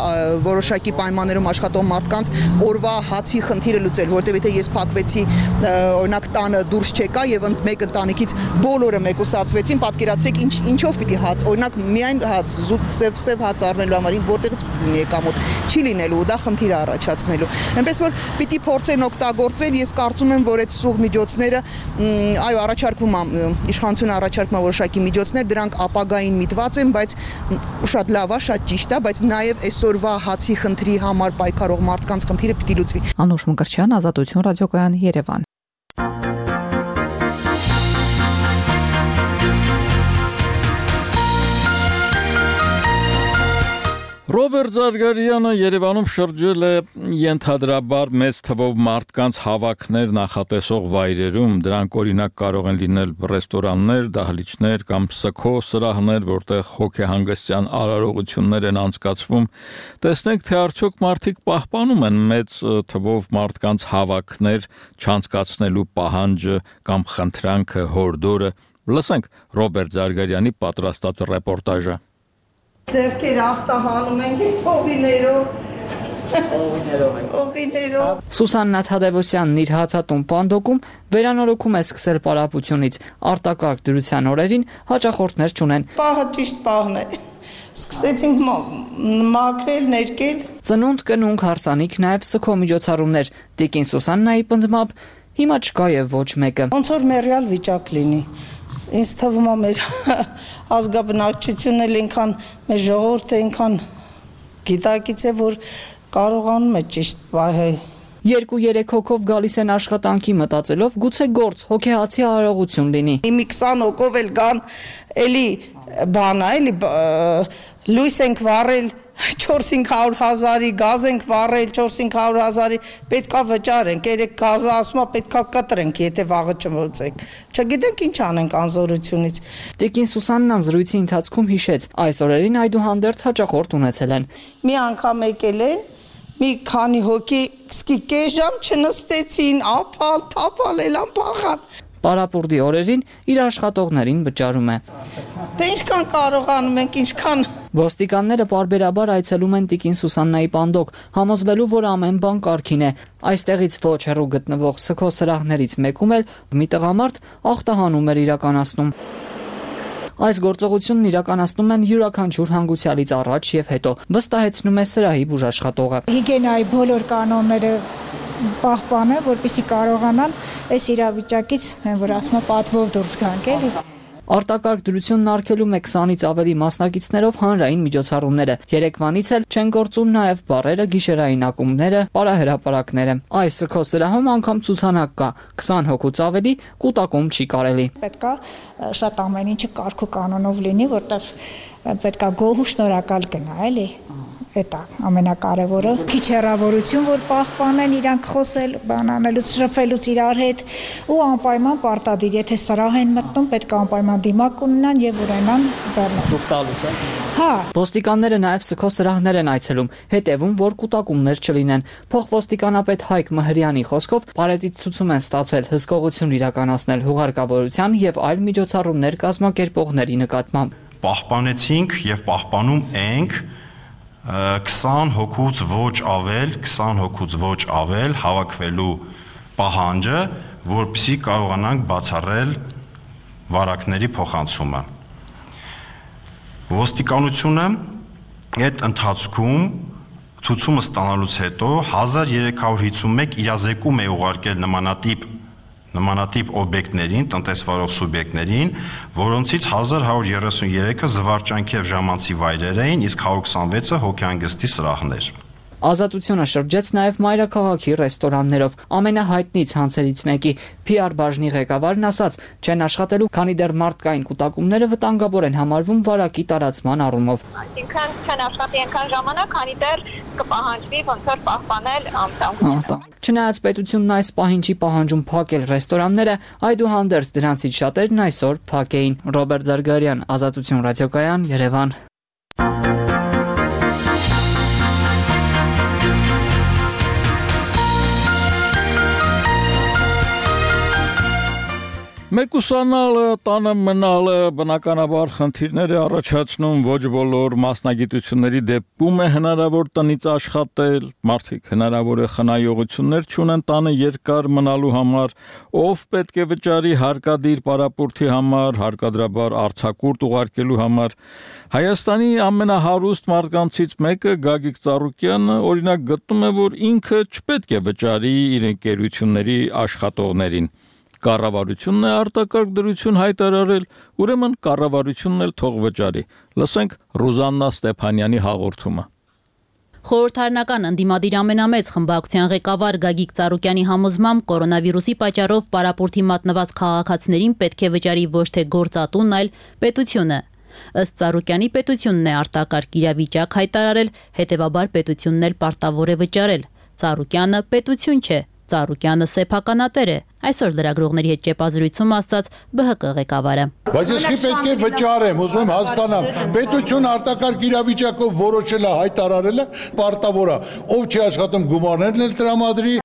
որոշակի պայմաններում աշխատող մարդկանց օրվա հացի խնդիրը լուծել, որտեղ եթե ես փակվեցի օրինակ տանը դուրս չեկա եւ մեկ ընտանիքից բոլորը մեկուսացվեցին, պատկերացրեք ինչ ինչով պիտի հաց, օրինակ միայն հաց, զուտ սև սև հաց առնելու համար որտեղից պիտի լինի եկամուտ, չի լինելու, դա խնդիր է առաջացնելու։ Այնպես որ պիտի փորձեն օգտագործել, ես կարծում եմ, որ այդ սուղ միջոցները, այո, առաջարկվում է իշխանությունը առաջարկում է որոշակի միջոցներ, դրանք ապագային միտված են, բայց շատ լավ է, շատ ճիշտ է, բայց նաեւ այսօրվա հացի խնդրի համար պայքարող մարդկանց խնդիրը պիտի լուծվի։ Անուշ Մկրտչյան, Ազատություն ռադիոկայան, Երևան։ Ռոբերտ Զարգարյանը Երևանում շրջել է ենթադրաբար մեծ թվով մարդկանց հավաքներ նախատեսող վայրերում, դրանք օրինակ կարող են լինել ռեստորաններ, դահլիճներ կամ սգո սրահներ, որտեղ հոգեհանգստյան արարողություններ են անցկացվում։ Տեսնենք, թե արդյոք մարդիկ պահպանում են մեծ թվով մարդկանց հավաքներ չանցկացնելու պահանջը կամ խնդրանքը, հորդորը։ Լսենք Ռոբերտ Զարգարյանի պատրաստած ռեպորտաժը։ Ձերքեր ախտահանում ենք այս հողիներով, հողիներով։ Սուսաննա Թադևոսյանն իր հացատուն պանդոկում վերանորոգում է սկսել պարապությունից, արտակարգ դրության օրերին հաճախորդներ չունեն։ Պահը ճիշտ պահն է, սկսեցինք մաքրել, ներկել։ Ծնունդ, կնունք, հարսանիք, նաև սգո միջոցառումներ, տիկին Սուսաննայի պնդմամբ հիմա չկա եւ ոչ մեկը։ Ոնց որ մեռյալ վիճակ լինի։ Ինձ թվում է մեր ազգաբնակչությունն էլ այնքան, մեր ժողովուրդը այնքան գիտակից է, որ կարողանում է ճիշտ պահել։ Երկու-երեք հոգով գալիս են աշխատանքի մտածելով, գուցե գործ, հոգեհացի արարողություն լինի։ Մի քսան հոգով էլ գան, էլի բան է, էլի լույս ենք վառել, չորս-հինգ հարյուր հազարի գազ ենք վառել, չորս-հինգ հարյուր հազարի պետքա վճարենք, երեք գազը ասում է պետքա կտրենք, եթե վաղը չմոծենք։ Չգիտենք ինչ անենք անզորությունից։ Տիկին Սուսաննան զրույցի ընթացքում հիշեց, այս օրերին այդուհանդերձ հաճախորդ ունեցել են։ Մի անգամ եկել են, մի քանի հոգի սկի կես ժամ չնստեցին, ապալ, թափալ, էլան փախան։ Պարապուրդի օրերին իր աշխատողներին վճարում է։ Դե ինչքան կարողանում ենք, ինչքան։ Ոստիկանները պարբերաբար այցելում են տիկին Սուսաննայի պանդոկ, համոզվելու, որ ամեն բան կարգին է։ Այստեղից ոչ հեռու գտնվող Սքո սրահներից մեկում էլ մի տղամարդ ախտահանում էր իրականացնում։ Այս գործողությունն իրականացնում են յուրաքանչյուր հանգուցյալից առաջ եւ հետո, վստահեցնում է սրահի բուժաշխատողը։ Հիգիենայի բոլոր կանոնները պահպանը, որպեսզի կարողանան այս իրավիճակից, որ ասում եմ, պատվով դուրս գանք, էլի։ Արտակարգ դրությունն արգելում է քսանից ավելի մասնակիցներով հանրային միջոցառումները։ Երեկվանից էլ չեն գործում նաև բարերը, գիշերային ակումբները, պարահրապարակները։ Այս Սքո սրահում անգամ ցուցանակ կա, քսան հոգուց ավելի կուտակում չի կարելի։ Պետքա շատ ամեն ինչը կարգ ու կանոնով լինի, որտեղ պետքա գոհ ու շնորհակալ գնա, էլի։ Էտա ամենակարևորը։ Քիչ հեռավորություն, որ պահպանեն իրանք խոսել, բան անելուց, շփվելուց իրար հետ ու անպայման պարտադիր, եթե սրահ են մտնում, պետք է անպայման դիմակ ունենան եւ ունենան ձեռնոց։ Դուք տալիս եք։ Հա։ Ոստիկանները նաև Սքո սրահներ են այցելում, հետևում, որ կուտակումներ չլինեն։ Փոխոստիկանապետ Հայկ Մհրյանի խոսքով Պարետից ցուցում են ստացել հսկողություն իրականացնել հուղարկավորության եւ այլ միջոցառումներ կազմակերպողների նկատմամբ։ Պահպանեցինք եւ պահպանում ենք քսան հոգուց ոչ ավել, քսան հոգուց ոչ ավել հավաքվելու պահանջը, որպեսզի կարողանանք բացառել վարակների փոխանցումը։ Ոստիկանությունը այդ ընթացքում ցուցումը ստանալուց հետո հազար երեք հարյուր հիսունմեկ իրազեկում է ուղարկել նմանատիպ նմանատիպ օբյեկտներին, տնտեսվարող սուբյեկտներին, որոնցից հազար հարյուր երեսուներեքը զվարճանքի եւ ժամանցի վայրեր էին, իսկ հարյուր քսանվեցը հոգեհանգստի սրահներ։ Ազատությունը շրջեց նաև մայրաքաղաքի ռեստորաններով։ Ամենահայտնի ցանցերից մեկի Փի Ար բաժնի ղեկավարն ասաց, չեն աշխատելու, քանի դեռ մարդկային կուտակումները վտանգավոր են համարվում վարակի տարածման առումով։ Այսինքն չեն աշխատի այնքան ժամանակ, քանի դեռ կպահանջվի ոնց որ պահպանել անվտանգությունը։ Չնայած պետությունն այս պահին չի պահանջում փակել ռեստորանները, այդուհանդերձ դրանցից շատերն այսօր փակ էին։ Ռոբերտ Զարգարյան, Ազատություն ռադիոկայան, Երևան։ Մեկուսանալը, տանը մնալը բնականաբար խնդիրներ է առաջացնում, ոչ բոլոր մասնագիտությունների դեպքում է հնարավոր տնից աշխատել, մարդիկ հնարավոր է խնայողություններ չունեն տանը երկար մնալու համար, ով պետք է վճարի հարկադիր պարապուրդի համար, հարկադրաբար արձակուրդ ուղարկելու համար։ Հայաստանի ամենահարուստ մարդկանցից մեկը Գագիկ Ծառուկյանը օրինակ գտնում է, որ ինքը չպետք է վճարի իր ընկերությունների աշխատողներին։ Կառավարությունն է արտակարգ դրություն հայտարարել, ուրեմն կառավարությունն էլ թող վճարի։ Լսենք Ռուզաննա Ստեփանյանի հաղորդումը։ Խորհրդարանական ընդդիմադիր ամենամեծ խմբակցության ղեկավար Գագիկ Ծառուկյանի համոզմամբ կորոնավիրուսի պատճառով պարապուրդի մատնված քաղաքացիներին պետք է վճարի ոչ թե գործատունն, այլ պետությունը։ Ըստ Ծառուկյանի պետությունն է արտակարգ իրավիճակ հայտարարել, հետևաբար պետությունն էլ պարտավոր է վճարել։ Ծառուկյանը պետություն չէ, Ծառուկյանը սեփականատեր է, այսօր լրագրողների հետ ճեպազրույցում ասաց Բ Հ Կ ղեկավարը։ Բայց ես չի պետք է վճարեմ, ուզում եմ հասկանամ, պետություն արտակարգ իրավիճակով որոշել է, հայտարարել է, պարտավոր է, ով չի աշխատում գումարներն էլ տրամադրի,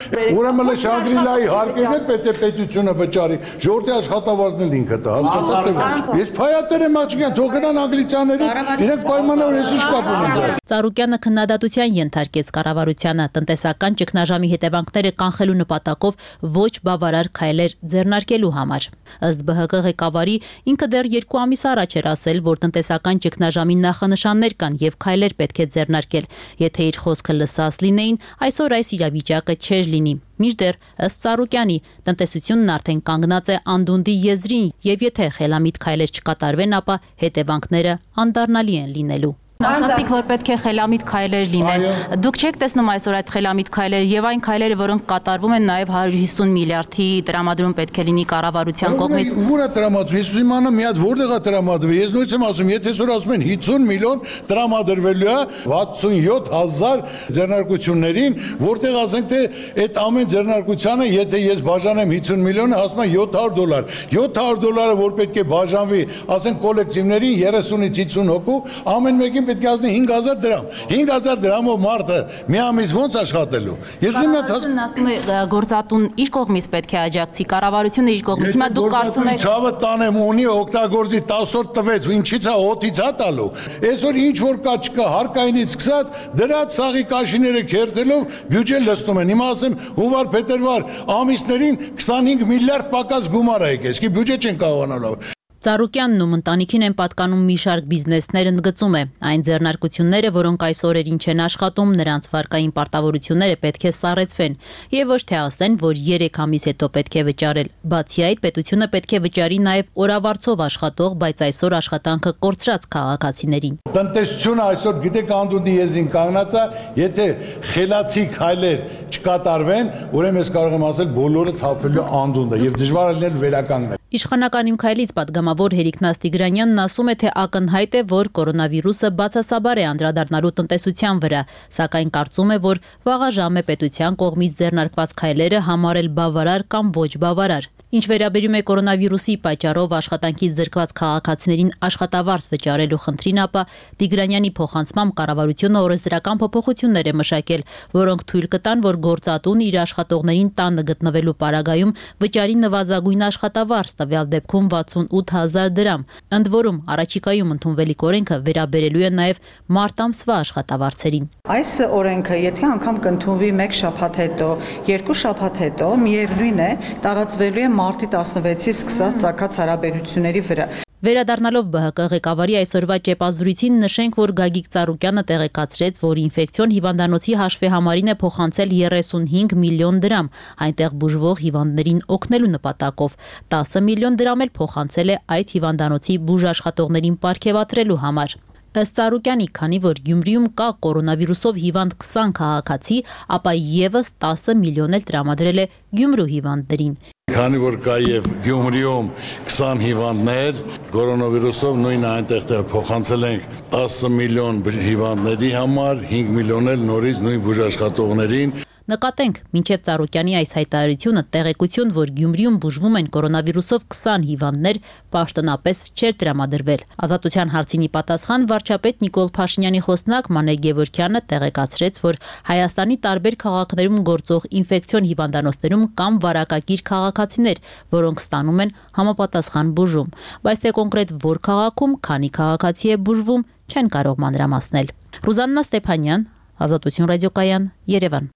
ուրեմն էլ Շանգրիլայի հարկերն էլ պետք է պետությունը վճարի, ժողովրդի աշխատավարձն էլ ինքը տա, հասկացաք թե ոչ։ Ես փայատեր եմ աչքյան, թող գնան անգլիացիաների, իրենք պայմանավոր ես ինչ կապ ունեն դրա։ Ծառուկյանը քննադատության ենթարկեց կառավարությանը տնտեսական ճգնաժամի հետևանքները կանխելու նպատակով ոչ բավարար քայլեր ձեռնարկելու համար։ Ըստ Բ Հ Կ ղեկավարի ինքը դեռ երկու ամիս առաջ էր ասել, որ տնտեսական ճգնաժամի նախանշաններ կան եւ քայլեր պետք է ձեռնարկել։ Եթե իր խոսքը լսած լինեին, այսօր այս իրավիճակը չէր լինի։ Մինչդեռ ըստ Ծառուկյանի տնտեսությունն արդեն կանգնած է անդունդի եզրին եւ եթե խելամիտ քայլեր չկատարվեն, ապա հետևանքները անդառնալի են լինելու։ Ասացիք, որ պետք է խելամիտ քայլեր լինեն։ Դուք չեք տեսնում այսօր այդ խելամիտ քայլերը եւ այն քայլերը, որոնք կատարվում են նաեւ one hundred fifty միլիարդի տրամադրում պետք է լինի կառավարության կողմից։ Ուր է տրամադրվում։ Ես ուզում եմ միած որտեղ է տրամադրվում։ Ես նույնիսկ եմ ասում, եթե այսօր ասում են fifty միլիոն տրամադրվելու է sixty-seven հազար ձեռնարկություններին, որտեղ ասենք թե այդ ամեն ձեռնարկությանը, եթե ես բաժանեմ fifty միլիոնը, հասնում է seven hundred դոլար։ seven hundred դոլարը որ պետք է բաժանվի, ասենք կոլեկտիվներին thirtyից fifty հոգու, ամեն մեկին պետք է ասնի five thousand դրամ։ five thousand դրամով մարդը մի ամիս ո՞նց աշխատելու։ Ես ուզում եմ հասկանալ, ասում է գործատուն իր կողմից պետք է աջակցի, կառավարությունը իր կողմից։ Հիմա դուք կարծում եք ցավը տանեմ ունի օգտագործի ten օր տվեց, ինչի՞ց է հոտից է տալու։ Այսօր ինչ որ կա չկա, հարկայինից սկսած դրած սաղի կաշիները քերթելով բյուջեն լցնում են։ Հիմա ասեմ հունվար փետրվար ամիսներին twenty-five միլիարդ պակաս գումար է եկել, իսկ բյուջե չեն կարողանալու։ Ծառուկյանն ու ընտանիքին են պատկանում մի շարք բիզնեսներ, ընդգծում է։ Այն ձեռնարկությունները, որոնք այս օրերին չեն աշխատում, նրանց վարկային պարտավորությունները պետք է սառեցվեն եւ ոչ թե ասեն, որ երեք ամիս հետո պետք է վճարել։ Բացի այդ, պետությունը պետք է վճարի նաեւ օրավարձով աշխատող, բայց այսօր աշխատանքը կորցրած քաղաքացիներին։ Տնտեսությունը այսօր գիտեք անդունդի եզին կանգնած է, եթե խելացի քայլեր չկատարվեն, ուրեմն ես կարող եմ ասել բոլորը թափվելու անդունդը եւ դժվար է լինել վերականգնել։ Իշխանական իմ քայլից պատգամավոր Հերիկնաս Տիգրանյանն ասում է, թե ակնհայտ է, որ կորոնավիրուսը բացասաբար է անդրադառնալու տնտեսության վրա, սակայն կարծում է, որ վաղաժամ է պետության կողմից ձեռնարկված քայլերը համարել բավարար կամ ոչ բավարար։ Ինչ վերաբերում է կորոնավիրուսի պատճառով աշխատանքից զրկված քաղաքացիներին աշխատավարձ վճարելու խնդրին, ապա Տիգրանյանի փոխանցմամբ կառավարությունը օրենսդրական փոփոխություններ է մշակել, որոնք թույլ կտան, որ գործատուն իր աշխատողներին տանը գտնվելու պարագայում վճարի նվազագույն աշխատավարձ, տվյալ դեպքում sixty-eight հազար դրամ։ Ընդ որում, առաջիկայում ընդունվելիք օրենքը վերաբերելու է նաև մարտ ամսվա աշխատավարձերին։ Այս օրենքը, եթե անգամ կընդունվի մեկ շաբաթ հետո, երկու շաբաթ հետո, միևնույն է, տարածվելու է մարտի twenty-sixից սկսած ծագած հարաբերությունների վրա։ Վերադառնալով Բ Հ Կ ղեկավարի այսօրվա ճեպազրույցին նշենք, որ Գագիկ Ծառուկյանը տեղեկացրեց, որ ինֆեկցիոն հիվանդանոցի հաշվեհամարին է փոխանցել thirty-five միլիոն դրամ, այնտեղ բուժվող հիվանդներին օգնելու նպատակով, ten միլիոն դրամ էլ փոխանցել է այդ հիվանդանոցի բուժաշխատողներին պարգևատրելու համար։ Ըստ Ծառուկյանի, քանի որ Գյումրիում կա կորոնավիրուսով հիվանդ twenty քաղաքացի, ապա եւս ten միլիոն էլ տրամադրել է Գյումրու հիվանդներին։ Քանի որ կա եւ Գյումրիում twenty հիվանդներ, կորոնավիրուսով նույնը այնտեղ փոխանցել ենք ten միլիոն հիվանդների համար, five միլիոն էլ նորից նույն բուժաշխատողներին։ Նկատենք, մինչև Ծառուկյանի այս հայտարարությունը տեղեկություն, որ Գյումրիում բուժվում են կորոնավիրուսով twenty հիվանդներ, պաշտոնապես չէր տրամադրվել։ Ազատության հարցինի պատասխան վարչապետ Նիկոլ Փաշինյանի խոսնակ Մանե Գևորգյանը տեղեկացրեց, որ Հայաստանի տարբեր քաղաքներում գործող ինֆեկցիոն հիվանդանոցներում կան վարակագիր քաղաքացիներ, որոնք ստանում են համապատասխան բուժում, բայց թե կոնկրետ որ քաղաքում քանի քաղաքացի է բուժվում, չեն կարող մանրամասնել։ Ռուզաննա Ստեփանյան, Ազատություն ռադիոկայան, Երևան։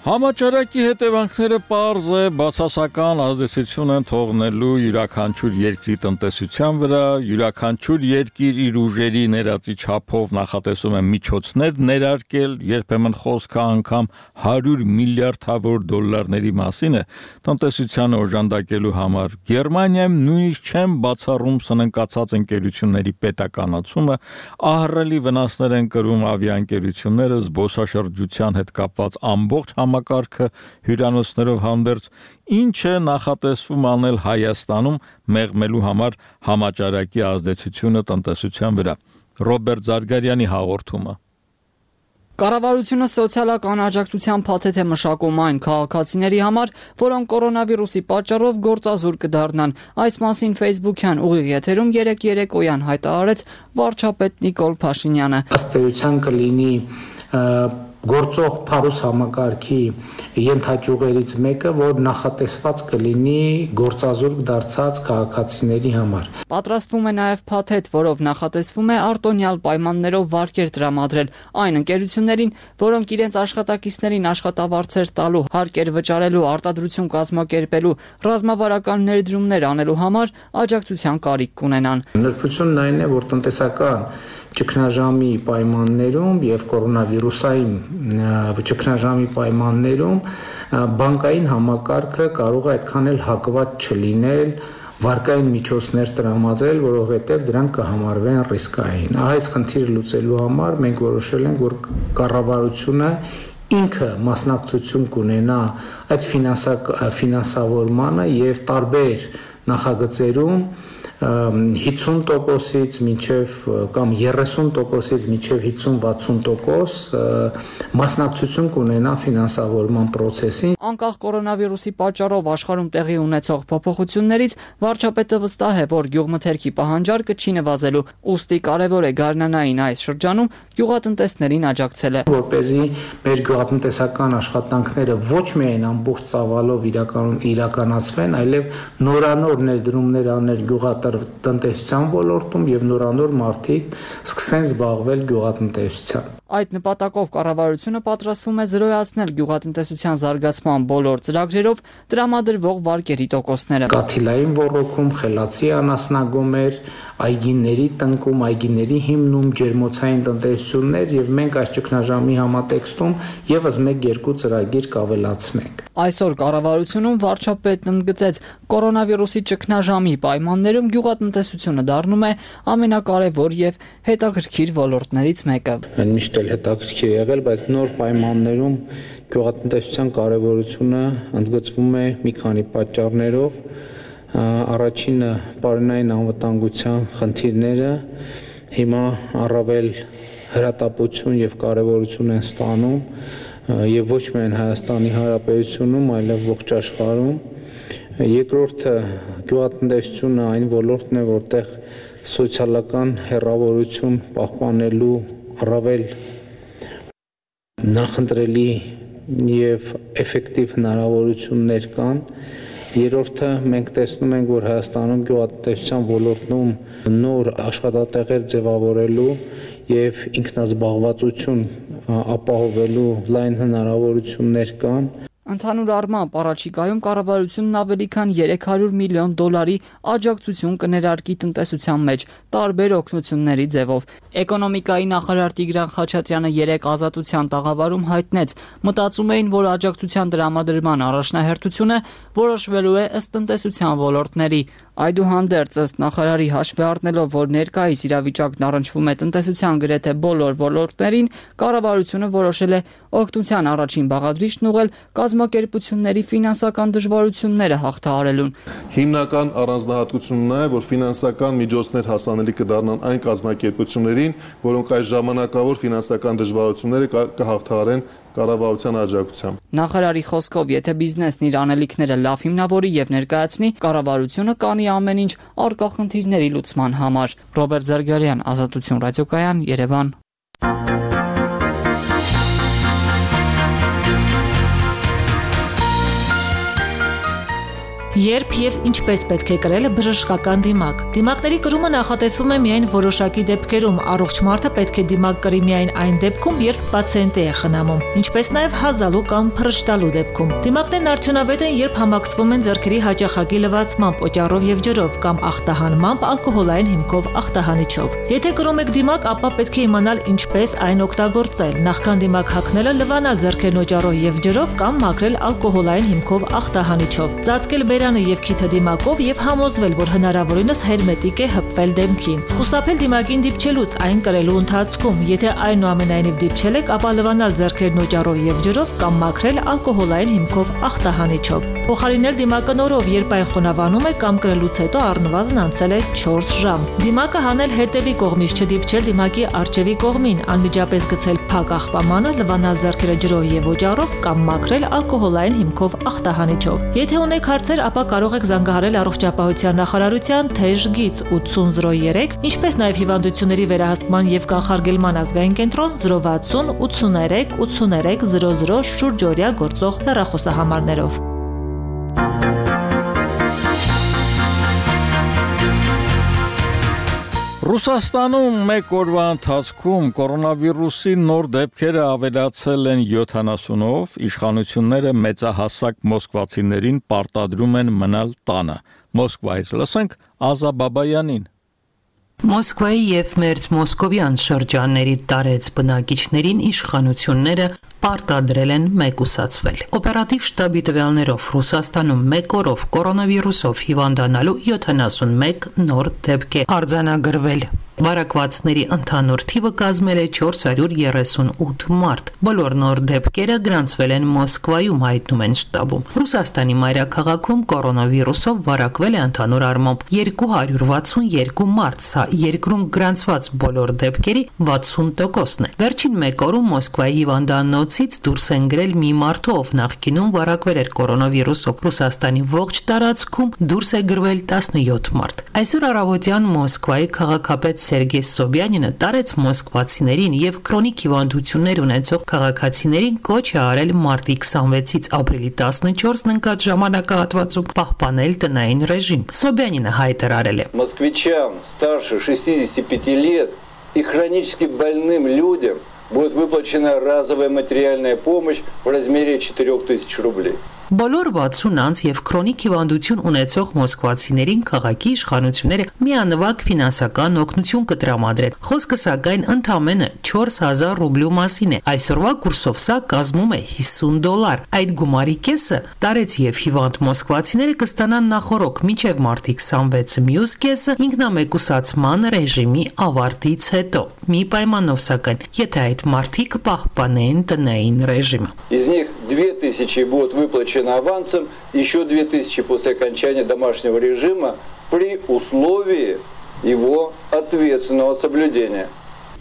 Համաճարակի հետևանքները պարզ է բացասական ազդեցություն են թողնելու յուրաքանչյուր երկրի տնտեսության վրա, յուրաքանչյուր երկիր իր ուժերի ներածի չափով նախատեսում է միջոցներ ներարկել, երբեմն խոսքը անգամ one hundred միլիարդավոր դոլարների մասին է տնտեսությանը օժանդակելու համար։ Գերմանիայում նույնիսկ չեն բացառում սննկացած ընկերությունների պետականացումը, ահռելի վնասներ են կրում ավիաընկերությունները, զբոսաշրջության հետ կապված ամբողջ համակարգը հյուրանոցներով հանդերձ, ինչը նախատեսվում անել Հայաստանում մեղմելու համար համաճարակի ազդեցությունը տնտեսության վրա։ Ռոբերտ Զարգարյանի հաղորդումը։ Կառավարությունը սոցիալական աջակցության փաթեթ է մշակում այն քաղաքացիների համար, որոնք կորոնավիրուսի պատճառով գործազուրկ կդառնան։ Այս մասին Facebook-յան ուղիղ եթերում երեկ երեկոյան հայտարարեց վարչապետ Նիկոլ Փաշինյանը։ Ըստ էության կլինի գործող փարուս համակարգի ենթաճյուղերից մեկը, որ նախատեսված կլինի գործազուրկ դարձած քաղաքացիների համար։ Պատրաստվում է նաև փաթեթ, որով նախատեսվում է արտոնյալ պայմաններով վարկեր տրամադրել այն ընկերություններին, որոնք իրենց աշխատակիցներին աշխատավարձեր տալու, հարկեր վճարելու, արտադրություն կազմակերպելու, ռազմավարական ներդրումներ անելու համար աջակցության կարիք կունենան։ Նրբությունն այն է, որ տնտեսական ճգնաժամի պայմաններում եւ կորոնավիրուսային ճգնաժամի պայմաններում բանկային համակարգը կարող է այդքան էլ հակված չլինել վարկային միջոցներ տրամադրել, որովհետև դրանք կհամարվեն ռիսկային։ Այս խնդիրը լուծելու համար մենք որոշել ենք, որ կառավարությունը ինքը մասնակցություն կունենա այդ ֆինանսավորմանը եւ տարբեր նախագծերում հիսուն տոկոսից մինչև կամ երեսուն տոկոսից մինչև հիսուն-վաթսուն տոկոս մասնակցություն կունենա ֆինանսավորման process-ին։ Անկախ կորոնավիրուսի պատճառով աշխարհում տեղի ունեցող փոփոխություններից վարչապետը վստահ է, որ գյուղմթերքի պահանջարկը չի նվազելու, ուստի կարևոր է գարնանային այս շրջանում գյուղատնտեսներին աջակցելը։ Որպեսզի մեր գյուղատնտեսական աշխատանքները ոչ միայն ամբողջ ծավալով իրականացվեն, այլև նորանոր ներդրումներ անել գյուղատնտեսական տնտեսության ոլորտում եւ նորանոր մարդիկ սկսեն զբաղվել գյուղատնտեսությամբ։ Այդ նպատակով կառավարությունը պատրաստվում է զրոյացնել գյուղատնտեսության զարգացման բոլոր ծրագրերով տրամադրվող վարկերի տոկոսները։ Կաթիլային ոռոգում, խելացի անասնագոմեր, այգիների տնկում, այգիների հիմնում, ջերմոցային տնտեսություններ եւ մենք այս ճգնաժամի համատեքստում եւս մեկ-երկու ծրագիր կավելացնենք։ Այսօր կառավարությունում վարչապետն ընդգծեց, կորոնավիրուսի ճգնաժամի պայմաններում գյուղատնտեսությունը դառնում է ամենակարևոր եւ հետաքրքիր ոլորտներից մեկը։ Միշտ էլ հետաքրքիր եղել, բայց նոր պայմաններում գյուղատնտեսության կարևորությունը ընդգծվում է մի քանի պատճառներով։ Առաջինը պարենային անվտանգության խնդիրները հիմա առավել հրատապություն եւ կարևորություն են ստանում եւ ոչ միայն Հայաստանի Հանրապետությունում, այլև ողջ աշխարհում։ Երկրորդը գյուղատնտեսությունը այն ոլորտն է, որտեղ սոցիալական հեռավորություն պահպանելու առավել նախընտրելի եւ էֆեկտիվ հնարավորություններ կան։ Երրորդը մենք տեսնում ենք, որ Հայաստանում գյուղատնտեսության ոլորտում նոր աշխատատեղեր ձևավորելու եւ ինքնազբաղվածություն ապահովելու լայն հնարավորություններ կան։ Ընդհանուր առմամբ առաջիկայում կառավարությունն ավելի քան երեք հարյուր միլիոն դոլարի աջակցություն կներարկի տնտեսության մեջ տարբեր օգնությունների ձևով։ Էկոնոմիկայի նախարար Տիգրան Խաչատրյանը երեք ազատության տաղավարում հայտնեց, մտածում էին, որ աջակցության տրամադրման առաջնահերթությունը որոշվելու է ըստ տնտեսության ոլորտների։ Այդուհանդերձ ըստ նախարարի հաշվի առնելով, որ ներկայիս իրավիճակն առնչվում է տնտեսության գրեթե բոլոր ոլորտներին, կառավարությունը որոշել է օգնության առաջին բաղադրիչն ուղղել կազմակերպությունների ֆինանսական դժվարությունները հաղթահարելուն։ Հիմնական առանձնահատկությունն է, որ ֆինանսական միջոցներ հասանելի կդառնան այն կազմակերպություններին, որոնք այս ժամանակավոր ֆինանսական դժվարությունները կհաղթահարեն կառավարության աջակցությամբ։ Նախարարի խոսքով, եթե բիզնեսն իր անելիքները լավ հիմնավորի եւ ներկայացնի, կառավարությունը կանի ամեն ինչ առկա խնդիրների լուծման համար։ Ռոբերտ Զարգարյան, Ազատություն ռադիոկայան, Երևան։ Երբ եւ ինչպես պետք է կրել բժշկական դիմակ։ Դիմակների կրումը նախատեսվում է միայն որոշակի դեպքերում, առողջ մարդը պետք է դիմակ կրի միայն այն դեպքում, երբ պացիենտը է խնամում, ինչպես նաեւ հազալու կամ փռշտալու դեպքում։ Դիմակներն արդյունավետ են, երբ համակցվում են ձեռքերի հաճախակի լվացմամբ, օճառով եւ ջրով կամ ախտահանմամբ ալկոհոլային հիմքով ախտահանիչով։ Եթե կրում եք դիմակ, ապա պետք է իմանալ ինչպես այն օգտագործել։ Նախքան դիմակ հագնելը լվանալ ձեռքերն օճառով եւ ջրով կամ մաքրել ալկոհոլային հիմքով ախտահանիչով։ Ծածկել եւ քիթը դիմակով եւ համոզվել, որ հնարավորինս հերմետիկ է հպվել դեմքին։ Խուսափել դիմակին դիպչելուց այն կրելու ընթացքում, եթե այնուամենայնիվ դիպչել եք, ապա լվանալ ձեռքերն օճառով եւ ջրով կամ մաքրել ալկոհոլային հիմքով ախտահանիչով։ Փոխարինել դիմակը նորով, երբ այն խոնավանում է կամ կրելուց հետո առնվազն անցել է չորս ժամ։ Դիմակը հանել հետևի կողմից, չդիպչել դիմակի առջևի կողմին, անմիջապես գցել փակ աղբամանը, լվանալ ձեռքերը ջրով եւ օճառով կամ մաքրել ալկոհոլային հիմքով ախտահանիչով։ Եթե ունեք հարցեր, ապա կարող եք զանգահարել առողջապահության նախարարության թեժ գիծ ութսուն զրո երեք, ինչպես նաև հիվանդությունների վերահսկման եւ կանխարգելման ազգային կենտրոն զրո վաթսուն ութսուներեք ութսուներեք զրո զրո շուրջօրյա գործող հեռախոսահամարներով։ Ռուսաստանում մեկ օրվա ընթացքում կորոնավիրուսի նոր դեպքերը ավելացել են յոթանասունով, իշխանությունները մեծահասակ մոսկվացիներին պարտադրում են մնալ տանը։ Մոսկվայից լսենք Ազա Բաբայանին։ Մոսկվայի եւ Մերձ Մոսկովյան շրջանների տարեց բնակիչներին իշխանությունները պարտադրել են մեկուսացվել։ Օպերատիվ շտաբի տվյալներով Ռուսաստանում մեկ օրով կորոնավիրուսով հիվանդանալու յոթանասունմեկ նոր դեպք է արձանագրվել։ Բարակվածների ընդհանուր թիվը կազմել է չորս հարյուր երեսունութ մարդ։ Բոլոր նոր դեպքերը գրանցվել են Մոսկվայում, հայտնում են շտաբում։ Ռուսաստանի մայրաքաղաքում կորոնավիրուսով վարակվել է ընդհանուր առմամբ երկու հարյուր վաթսունյոթ մարդ, սա երկրում գրանցված բոլոր դեպքերի վաթսուն տոկոսն է։ Վերջին մեկ օրում Մոսկվայի հիվանդանոցից դուրս են գրել մի մարդու, ով նախկինում վարակվել էր կորոնավիրուսով։ Ռուսաստանի ողջ տարածքում դուրս է գրվել տասնյոթ մարդ։ Այսօր առավոտյան Մոսկվայի քաղաքապետ Սերգեյ Սոբյանինը տարեց մոսկվացիներին եւ քրոնիկ հիվանդություններ ունեցող քաղաքացիներին կոչ է արել մարտի քսանվեցից ապրիլի տասնչորսն ընկած ժամանակահատվածում պահպանել տնային ռեժիմ։ Սոբյանինը հայտարարել է. Москвичам старше шестидесяти пяти лет и хронически больным людям будет выплачена разовая материальная помощь в размере четырёх тысяч рублей. Բոլոր վաթսուն անց եւ քրոնիկ հիվանդություն ունեցող մոսկվացիներին քաղաքի իշխանությունները միանվագ ֆինանսական օգնություն կտրամադրեն։ Խոսքը սակայն ընդամենը չորս հազար ռուբլու մասին է։ Այսօրվա կուրսով սա կազմում է հիսուն դոլար։ Այդ գումարի կեսը տարեց եւ հիվանդ մոսկվացիները կստանան նախորոք մինչեւ մարտի քսանվեցը, մյուս կեսը ինքնամեկուսացման ռեժիմի ավարտից հետո։ Մի պայմանով սակայն, եթե այդ մարդիկ պահպանեն տնային ռեժիմը։ Из них две тысячи будут выплачены авансом, еще две тысячи после окончания домашнего режима при условии его ответственного соблюдения.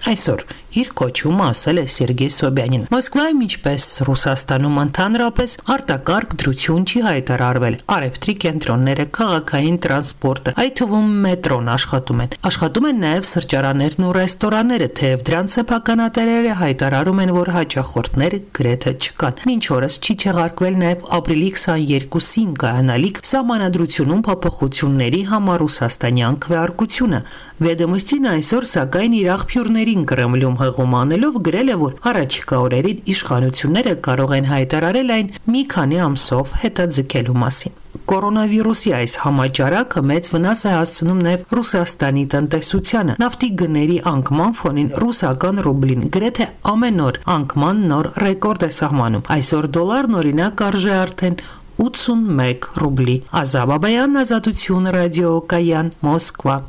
Այսօր իր կոչումը ասել է Սերգեյ Սոբյանին։ Մոսկվայում, ինչպես Ռուսաստանում ընդհանրապես, արտակարգ դրություն չի հայտարարվել։ Արևտրի կենտրոնները, քաղաքային տրանսպորտը, այդ թվում մետրոն աշխատում են։ Աշխատում են նաև սրճարաններն ու ռեստորանները, թեև դրանց սեփականատերերը հայտարարում են, որ հաճախորդներ գրեթե չկան։ Մինչ օրս չի չեղարկվել նաև ապրիլի քսաներկուսին կայանալիք սահմանադրությունում փոփոխությունների համար ռուսաստանյան քվեարկությունը։ Վեդոմստին այսօր սակայն իր աղբյուրներին Կրեմլում հղում անելով գրել է, որ առաջիկա օրերին իշխանությունները կարող են հայտարարել այն մի քանի ամսով հետաձգելու մասին։ Կորոնավիրուսի այս համաճարակը մեծ վնաս է հասցնում նաև Ռուսաստանի տնտեսությանը։ Նավթի գների անկման ֆոնին ռուսական ռուբլին գրեթե ամեն օր անկման նոր ռեկորդ է սահմանում։ Այսօր դոլարն օրինակ արժե արդեն ութսունմեկ ռուբլի։ Ազա Բաբայան, Ազատություն ռադիոկայան, Մոսկվա։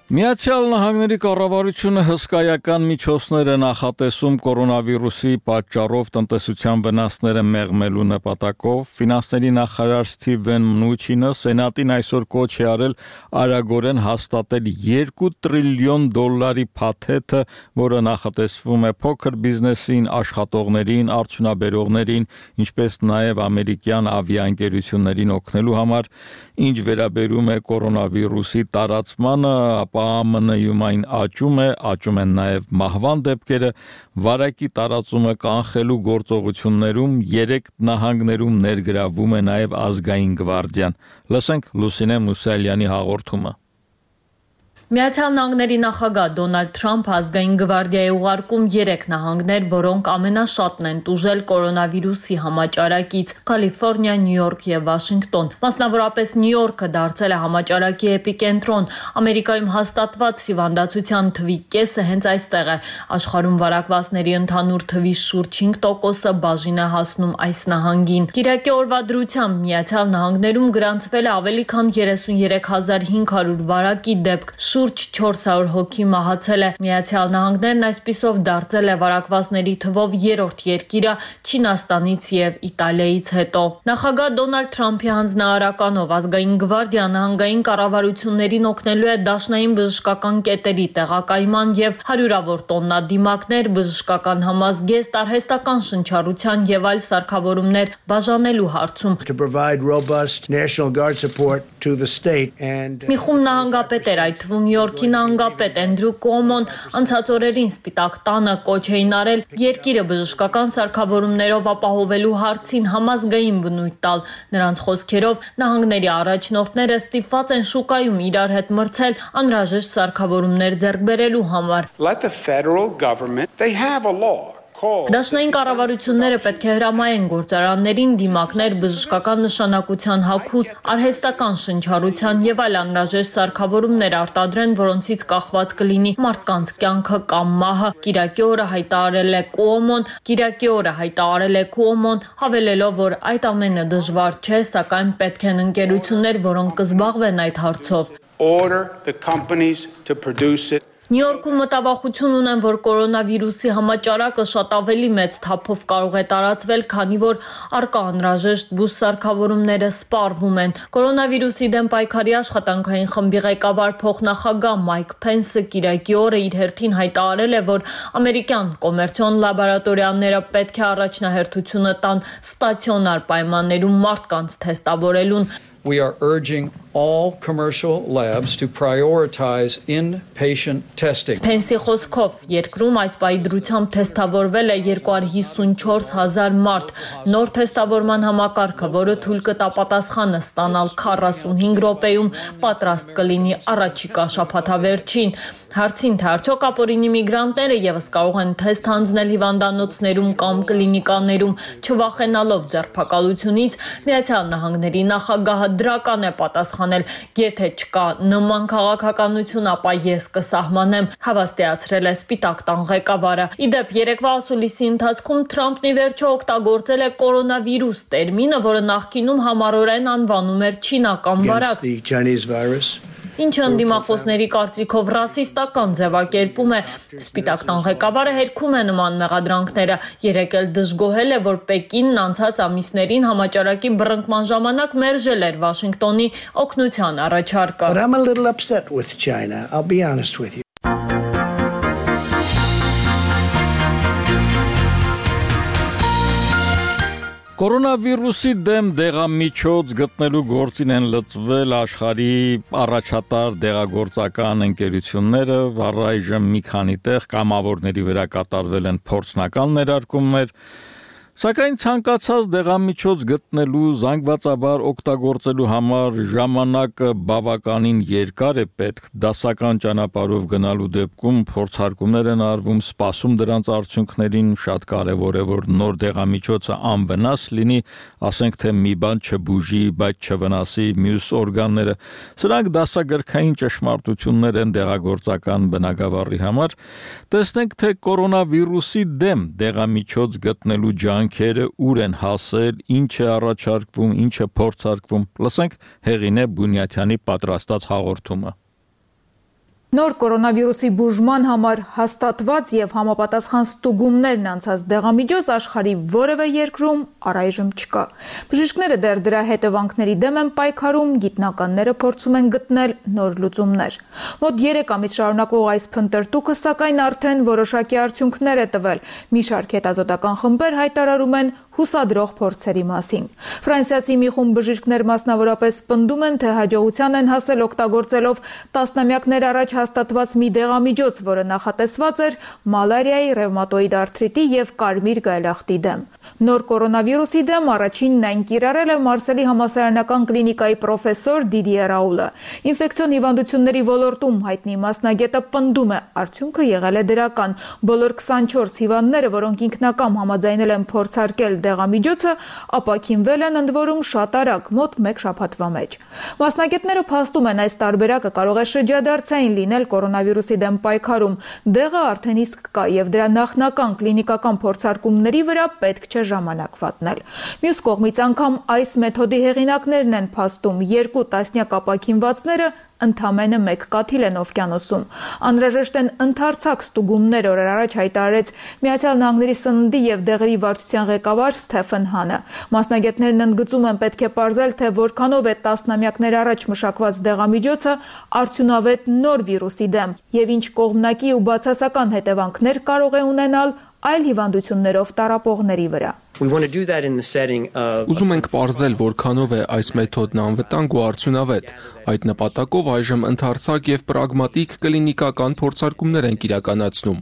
Միացյալ Նահանգների կառավարությունը հսկայական միջոցներ է նախատեսում կորոնավիրուսի պատճառով տնտեսության վնասները մեղմելու նպատակով։ Ֆինանսների նախարար Սթիվեն Մնուչինը Սենատին այսօր կոչ է արել արագորեն հաստատել երկու տրիլիոն դոլարի փաթեթը, որը նախատեսվում է փոքր բիզնեսին, աշխատողներին, արդյունաբերողներին, ինչպես նաև ամերիկյան ավիաընկերություններին օգնելու համար, ինչ վերաբերում է կորոնավիրուսի տարածմանը, ապա Է ԱՄՆ-ում այն աճում է, աճում են նաև մահվան դեպքերը, վարակի տարածումը կանխելու գործողություններում երեք նահանգներում ներգրավում է նաև ազգային գվարդիան։ Լսենք Լուսինե Մուսալյանի հաղորդումը։ Միացյալ Նահանգների նախագահ Դոնալդ Թրամփը ազգային գվարդիայի ուղարկում երեք նահանգներ, որոնք ամենաշատն են տուժել կորոնավիրուսի համաճարակից՝ Կալիֆոռնիա, Նյու Յորք եւ Վաշինգտոն։ Մասնավորապես Նյու Յորքը դարձել է համաճարակի էպիկենտրոն։ Ամերիկայում հաստատված հիվանդացության թվի կեսը հենց այստեղ է։ Աշխարհում վարակվածների ընդհանուր թվի շուրջ հինգ տոկոսը բաժին է հասնում այս նահանգին։ Կիրակի օրվա դրությամբ Միացյալ Նահանգներում գրանցվել է ավելի քան երեսունյոթ հազար հինգ հարյուր վարակի դեպք։ Շուրջ չորս հարյուր հոգի մահացել է։ Միացյալ Նահանգներն այսպիսով դարձել է վարակվածների թվով երրորդ երկիրը Չինաստանից եւ Իտալիայից հետո։ Նախագահ Դոնալդ Թրամփի հանձնարարականով ազգային գվարդիան նահանգային կառավարություններին օգնելու է դաշնային բժշկական կետերի տեղակայման եւ հարյուրավոր տոննա դիմակներ, բժշկական համազգեստ, արհեստական շնչառության եւ այլ սարքավորումներ բաժանելու հարցում։ Մի խումբ նահանգապետեր, այդ թվում Նյու Յորքի նահանգապետ Էնդրյու Կոմոն, անցած օրերին Սպիտակ տանը կոչ էին արել երկիրը բժշկական սարքավորումներով ապահովելու հարցին համազգային բնույթ տալ։ Նրանց խոսքերով նահանգների առաջնորդները ստիպված են շուկայում իրար հետ մրցել անհրաժեշտ սարքավորումներ ձեռք բերելու համար։ Let the federal government, they have a law Դաշնային կառավարությունները պետք է հրամայեն գործարաններին դիմակներ բժշկական նշանակության հագուստ, արհեստական շնչառության եւ այլ անհրաժեշտ սարքավորումներ արտադրեն, որոնցից կախված կլինի մարդկանց կյանքը կամ մահը։ Կիրակի օրը հայտարարել է Cuomo-ն, Կիրակի օրը հայտարարել է Cuomo-ն, հավելելով, որ այդ ամենը դժվար չէ, սակայն պետք են ընկերություններ, որոնք կզբաղվեն այդ հարցով։ Order the companies to produce it. Նյու Յորքում մտավախություն ունեն, որ կորոնավիրուսի համաճարակը շատ ավելի մեծ թափով կարող է տարածվել, քանի որ առկա անհրաժեշտ բուժսարքավորումները սպառվում են։ Կորոնավիրուսի դեմ պայքարի աշխատանքային խմբի ղեկավար փոխնախագահ Մայք Փենսը Կիրակի օրը իր հերթին հայտարարել է, որ ամերիկյան կոմերցիոն լաբորատորիաները պետք է առաջնահերթությունը տան ստացիոնար պայմաններում մարդկանց թեստավորելուն։ We are urging all commercial labs to prioritize in-patient testing. Փենսի խոսքով երկրում այս պահի դրությամբ թեստավորվել է երկու հարյուր հիսունչորս հազար մարդ։ Նոր թեստավորման համակարգը, որը թույլ կտա պատասխանը ստանալ քառասունհինգ րոպեում, պատրաստ կլինի առաջիկա շաբաթավերջին։ Հարցին թե արդյոք ապօրինի միգրանտները եւս կարող են թեստ հանձնել հիվանդանոցներում կամ կլինիկաներում, չվախենալով ձերբակալությունից, Միացյալ Նահանգների նախագահը դրական է պատասխանել. Եթե չկա նման քաղաքականություն, ապա ես կսահմանեմ, հավաստիացրել է Սպիտակ տան ղեկավարը։ Իդեպ երեկվա ասուլիսի ընթացքում Թրամփն ի վերջո օգտագործել է կորոնավիրուս տերմինը, որը նախկինում համառորեն անվանում էր չինական վարակ։ Ինչը ընդդիմախոսների կարծիքով ռասիստական ձևակերպում է։ Սպիտակ տան ղեկավարը հերքում է նման մեղադրանքները, երեկ էլ դժգոհել է, որ Պեկինն անցած ամիսներին համաճարակի բռնկման ժամանակ մերժել էր Վաշինգտոնի օգնության առաջարկը։ But I'm a little upset with China, I'll be honest with you. Կորոնավիրուսի դեմ դեղամիջոց գտնելու գործին են լծվել աշխարհի առաջատար դեղագործական ընկերությունները, առայժմ մի քանի տեղ կամավորների վրա կատարվել են փորձնական ներարկումներ, սակայն ցանկացած դեղամիջոց գտնելու զանգվածաբար օգտագործելու համար ժամանակը բավականին երկար է պետք, դասական ճանապարհով գնալու դեպքում փորձարկումներ են արվում, սպասում դրանց արդյունքներին, շատ կարևոր է, որ նոր դեղամիջոցը անվնաս լինի, ասենք թե մի բան չբուժի, բայց չվնասի մյուս օրգանները, սրանք դասագրքային ճշմարտություններ են դեղագործական բնագավառի համար, տեսնենք թե կորոնավիրուսի դեմ դեղամիջոց գտնելու ջանք Քերը ուր են հասել, ինչ է առաջարկվում, ինչ է փորձարկվում, լսենք Հեղինե Բունյաթյանի պատրաստած հաղորդումը։ Նոր կորոնավիրուսի բուժման համար հաստատված եւ համապատասխան ստուգումներն անցած դեղամիջոց աշխարհի որևէ երկրում առայժմ չկա։ Բժիշկները դեռ դրա հետևանքների դեմ են պայքարում, գիտնականները փորձում են գտնել նոր լուծումներ։ Մոտ երեք ամիս շարունակող այս փնտրտուքը սակայն արդեն որոշակի արդյունքներ է տվել։ Մի շարք հետազոտական խմբեր հայտարարում են հուսադրող փորձերի մասին։ Ֆրանսիացի մի խումբ բժիշկներ մասնավորապես պնդում են, թե հաջողության են հասել օգտագործելով տասնամյակներ առաջ հաստատված մի դեղամիջոց, որը նախատեսված էր մալարիայի, ռևմատոիդ արթրիտի եւ կարմիր գայլախտի դեմ։ Նոր կորոնավիրուսի դեմ առաջինն այն կիրառել է Մարսելի համալսարանական կլինիկայի պրոֆեսոր Դիդիե Ռաուլը։ Ինֆեկցիոն հիվանդությունների ոլորտում հայտնի մասնագետը պնդում է, արդյունքը եղել է դրական։ Բոլոր քսանչորս հիվանդները, որոնք ինքնակամ համաձայնել են փորձարկել դեղամիջոցը, ապաքինվել են ընդ որում շատ արագ, մոտ մեկ շաբաթվա մեջ։ Մասնագետները փաստում են, այս տարբերակը կարող է շրջադարձային լինել կորոնավիրուսի դեմ պայքարում։ Դեղը արդեն իսկ կա եւ դրա նախնական կլինիկական փորձարկումների վրա պետք չէ ժամանակ վատնել։ Մյուս կողմից անգամ այս մեթոդի հեղինակներն են փաստում, երկու տասնյակ ապաքինվածները ընդամենը մեկ կաթիլ են օվկիանոսում։ Անհրաժեշտ են ընդարձակ ստուգումներ, օրեր առաջ հայտարարեց Միացյալ Նահանգների սննդի եւ դեղերի վարչության ղեկավար Սթեֆեն Հանը։ Մասնագետներն ընդգծում են, պետք է պարզել, թե որքանով է տասնամյակներ առաջ մշակված դեղամիջոցը արդյունավետ նոր վիրուսի դեմ եւ ինչ կողմնակի ու բացասական հետևանքներ կարող է ունենալ այլ հիվանդություններով տառապողների վրա։ Ուզում ենք պարզել, որքանով է այս մեթոդն անվտանգ ու արդյունավետ։ Այդ նպատակով այժմ ընդարձակ եւ պրագմատիկ կլինիկական փորձարկումներ ենք իրականացնում։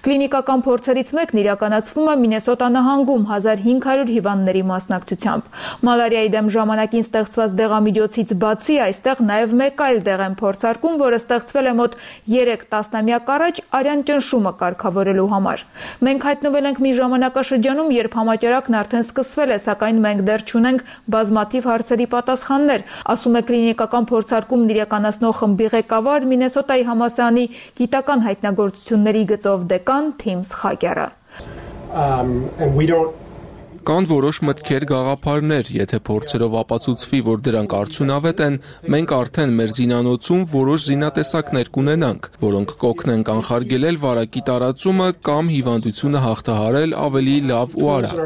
Կլինիկական փորձերից մեկն իրականացվում է Մինեսոտա նահանգում հազար հինգ հարյուր հիվանդների մասնակցությամբ։ Մալարիայի դեմ ժամանակին ստեղծված դեղամիջոցից բացի այստեղ նաև մեկ այլ դեղեն փորձարկում, որը ստեղծվել է մոտ երեք տասնամյակ առաջ արյան ճնշումը կարգավորելու համար։ Մենք հայտնվել ենք մի ժամանակաշրջանում, երբ համաճարակն արդեն սկսվել է, սակայն մենք դեռ չունենք բազմաթիվ հարցերի պատասխաններ, ասում է կլինիկական փորձարկումն իրականացնող խմբի ղեկավար Մինեսոտայի համալսարանի գիտական հայտնագործությունների գծով դեկան Թիմ Սխակյարը։ Կան որոշ մտքեր, գաղափարներ, եթե փորձերով ապացուցվի, որ դրանք արդյունավետ են, մենք արդեն մեր զինանոցում որոշ զինատեսակներ կունենանք, որոնք կօգնեն կանխարգելել վարակի տարածումը կամ հիվանդությունը հաղթահարել ավելի լավ ու արագ։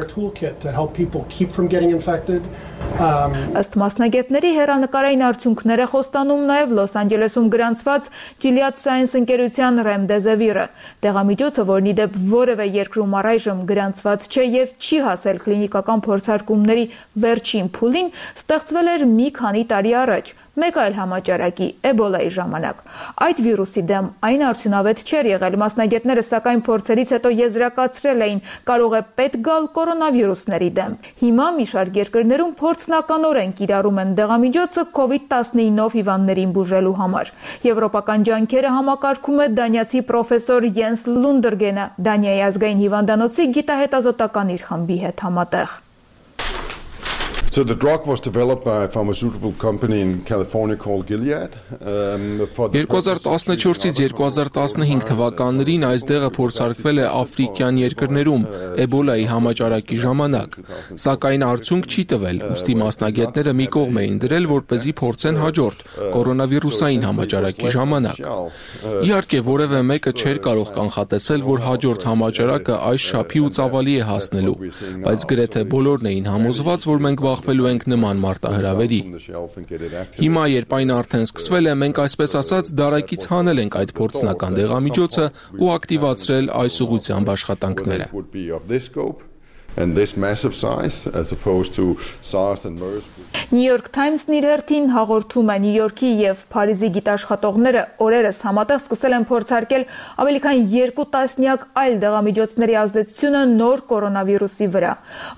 Ըստ մասնագետների հեռանկարային արդյունքները խոստանում նաև Լոս Անջելեսում գրանցված Gilead Sciences ընկերության Remdesivir-ը։ Դեղամիջոցը, որն ի դեպ որևէ երկրում առայժմ գրանցված չէ եւ չի հասել կլինիկական փորձարկումների վերջին փուլին, ստեղծվել էր մի քանի տարի առաջ, մեկ այլ համաճարակի Էբոլայի ժամանակ։ Այդ վիրուսի դեմ այն արդյունավետ չէր եղել, մասնագետները սակայն փորձերից հետո եզրակացրել էին, կարող է պետք գալ կորոնավիրուսների դեմ։ Հիմա մի շարք երկրներում փորձնականորեն կիրառում են դեղամիջոցը կովիդ տասնինով հիվանդներին բուժելու համար։ Եվրոպական ջանքերը համակարգում է դանիացի պրոֆեսոր Յենս Լունդերգենը, Դանիայի ազգային հիվանդանոցի գիտահետազոտական իր խմբի հետ համատեղ։ So the drug was developed by a pharmaceutical company in California called Gilead. երկու հազար տասնչորսից երկու հազար տասնհինգ թվականներին այս դեղը փորձարկվել է աֆրիկյան երկրներում Էբոլայի համաճարակի ժամանակ, սակայն արդյունք չի տվել, ուստի մասնագետները մի կողմ էին դրել, որպեսզի փորձեն հաջորդ կորոնավիրուսային համաճարակի ժամանակ։ Իհարկե, որևէ մեկը չէր կարող կանխատեսել, որ հաջորդ համաճարակը այս չափի ու ծավալի է հասնելու, բայց գրեթե բոլորն էին համոզված, որ մենք բախվելու ենք նման մարտահրավերի։ Հիմա, երբ այն արդեն սկսվել է, մենք այսպես ասած դարակից հանել ենք այդ փորձնական դեղամիջոցը ու ակտիվացրել այս ուղղությամբ աշխատանքները։ And this massive size as opposed to SARS and MERS. New York Times-ն իր հերթին հաղորդում է Նյու Յորքի եւ Փարիզի գիտաշխատողները օրերս համատեղ սկսել են փորձարկել ավելի քան երկու տասնյակ այլ դեղամիջոցների ազդեցությունը նոր կորոնավիրուսի վրա։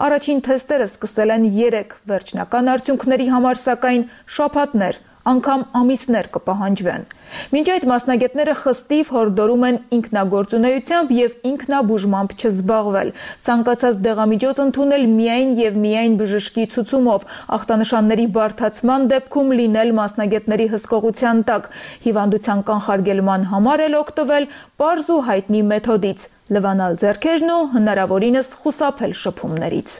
Առաջին թեստերը սկսել են երեք, վերջնական արդյունքների համար սակայն շաբաթներ, անգամ ամիսներ կպահանջվեն։ Մինչ այդ մասնագետները խստիվ հորդորում են ինքնագործունեությամբ եւ ինքնաբուժմամբ չզբաղվել, ցանկացած դեղամիջոց ընդունել միայն եւ միայն բժշկի ցուցումով, ախտանշանների բարդացման դեպքում լինել մասնագետների հսկողության տակ, հիվանդության կանխարգելման համար էլ օգտվել պարզ ու հայտնի մեթոդից՝ լվանալ ձեռքերն ու հնարավորինս խուսափել շփումներից։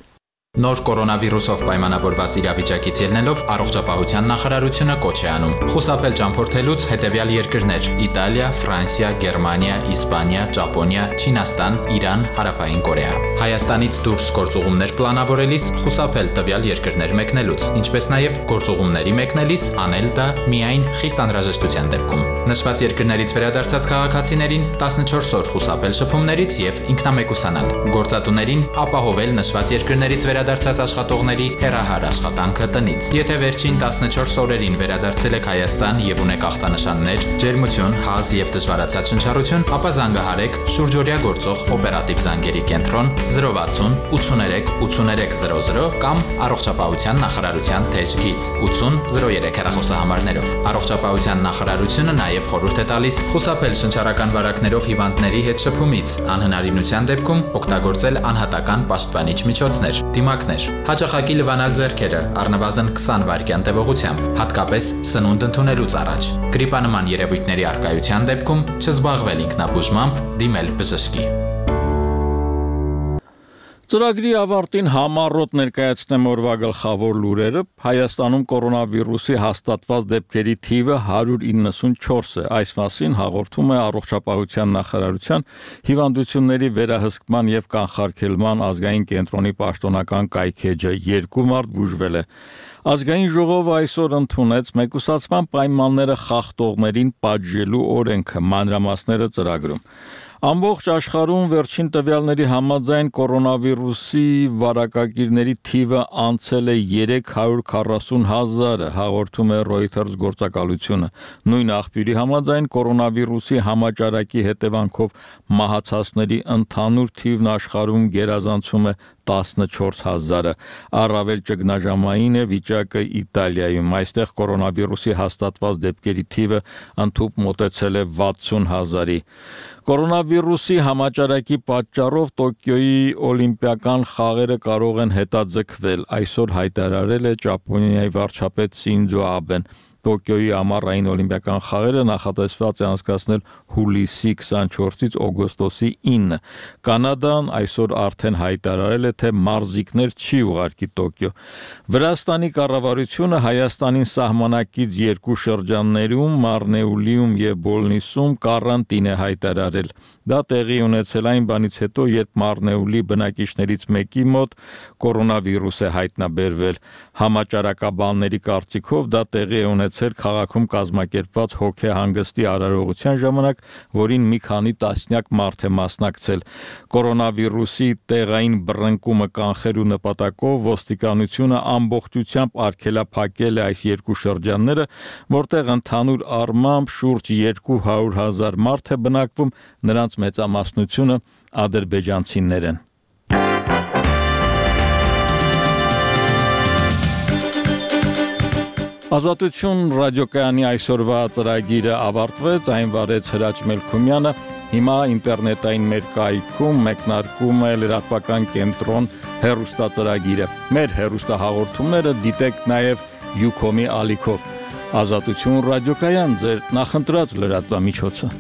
Նոր կորոնավիրուսով պայմանավորված իրավիճակից ելնելով առողջապահության նախարարությունը կոչ է անում խուսափել ճամփորդելուց հետևյալ երկրներ՝ Իտալիա, Ֆրանսիա, Գերմանիա, Իսպանիա, Ճապոնիա, Չինաստան, Իրան, Հարավային Կորեա։ Հայաստանից դուրս գործուղումներ պլանավորելիս խուսափել տվյալ երկրներ մեկնելուց, ինչպես նաև գործուղումների մեկնելիս անել դա միայն խիստ անհրաժեշտության դեպքում։ Նշված երկրներից վերադարձած քաղաքացիներին տասնչորս օր խուսափել շփումներից եւ ինքնամեկուսանալ։ Գործատուներին ապահովել նշված երկրներից վերադարձած աշխատողների հեռահար աշխատանքը տնից։ Եթե վերջին տասնչորս օրերին վերադարձել եք Հայաստան եւ ունեք ախտանշաններ, ջերմություն, հազ եւ դժվարացած շնչառություն, ապա զանգահարեք շուրջօրյա գործող օպերատիվ զանգերի կենտրոն զրո վաթսուն ութսուներեք ութսուներեք զրո զրո կամ առողջապահության նախարարության թեժ գիծ ութսուն զրո երեք հեռախոսահամարներով։ Առողջապահության նախարարությունը նաեւ խորհուրդ է տալիս խուսափել շնչառական վարակներով հիվանդների հետ շփումից, անհնարինության դեպքում օգտագործել անհատական պաշտպանիչ միջոցներ, դիմակներ, հաճախակի լվանալ ձեռքերը առնվազն քսան վայրկյան տևողությամբ, հատկապես սնունդ ընդունելուց առաջ։ Գրիպանման երևույթների առկայության դեպքում չզբաղվել ինքնաբուժմամբ, դիմել բժշկի։ Ծրագրի ավարտին համառոտ ներկայացնեմ օրվա գլխավոր լուրերը։ Հայաստանում կորոնավիրուսի հաստատված դեպքերի թիվը հարյուր իննսունչորս է։ Այս մասին հաղորդում է Առողջապահության նախարարության հիվանդությունների վերահսկման եւ կանխարգելման ազգային կենտրոնի պաշտոնական կայքեջը երկու մարդ բուժվել է։ Ազգային ժողովը այսօր ընդունեց մեկուսացման պայմանները խախտողներին պատժելու օրենքը, մանրամասները ծրագրում։ Ամբողջ աշխարհում վերջին տվյալների համաձայն կորոնավիրուսի վարակագիրների թիվը անցել է երեք հարյուր քառասուն հազարը, հաղորդում է Reuters գործակալությունը։ Նույն աղբյուրի համաձայն կորոնավիրուսի համաճարակի հետևանքով մահացածների ընդհանուր թիվն աշխարհում գերազանցում է տասնչորս հազարը, առավել ճգնաժամային է վիճակը Իտալիայում, այստեղ կորոնավիրուսի հաստատված դեպքերի թիվը ընդհուպ մոտեցել է վաթսուն հազարի։ Կորոնավիրուսի համաճարակի պատճառով Տոկիոյի օլիմպիական խաղերը կարող են հետաձգվել, այսօր հայտարարել է Ճապոնիայի վարչապետ Սինձո Աբեն։ Տոկիոյի ամառային օլիմպիական խաղերը նախատեսված է անցկացնել հուլիսի քսանչորսից օգոստոսի ինը։ Կանադան այսօր արդեն հայտարարել է, թե մարզիկներ չի ուղարկի Տոկիո։ Վրաստանի կառավարությունը Հայաստանին սահմանակից երկու շրջաններում Մարնեուլիում եւ Բոլնիսում կարանտին է հայտարարել։ Դա տեղի ունեցել այն բանից հետո, երբ Մարնեուլի բնակիչներից մեկի մոտ կորոնավիրուս է հայտնաբերվել։ Համաճարակաբանների կարծիքով դա տեղի է ունեցել քաղաքում կազմակերպված հոգեհանգստի արարողության ժամանակ, որին մի քանի տասնյակ մարդ է մասնակցել։ Կորոնավիրուսի տեղային բռնկումը կանխելու նպատակով ոստիկանությունը ամբողջությամբ արգելափակել է այս երկու շրջանները, որտեղ ընդհանուր առմամբ շուրջ երկու հարյուր հազար մարդ է բնակվում, նրանց մեծամասնությունը ադրբեջանցիներ են։ Ազատություն ռադիոկայանի այսօրվա ծրագիրը ավարտվեց, այն վարեց Հրաչ Մելքումյանը, հիմա ինտերնետային մեր կայքում մեկնարկում է լրատվական կենտրոն հեռուստածրագիրը։ Մեր հեռուստահաղորդումները դիտեք նաև Յուքոմի ալիքով։ Ազատություն ռադիոկայան, ձեր նախընտրած լրատվամիջոցը։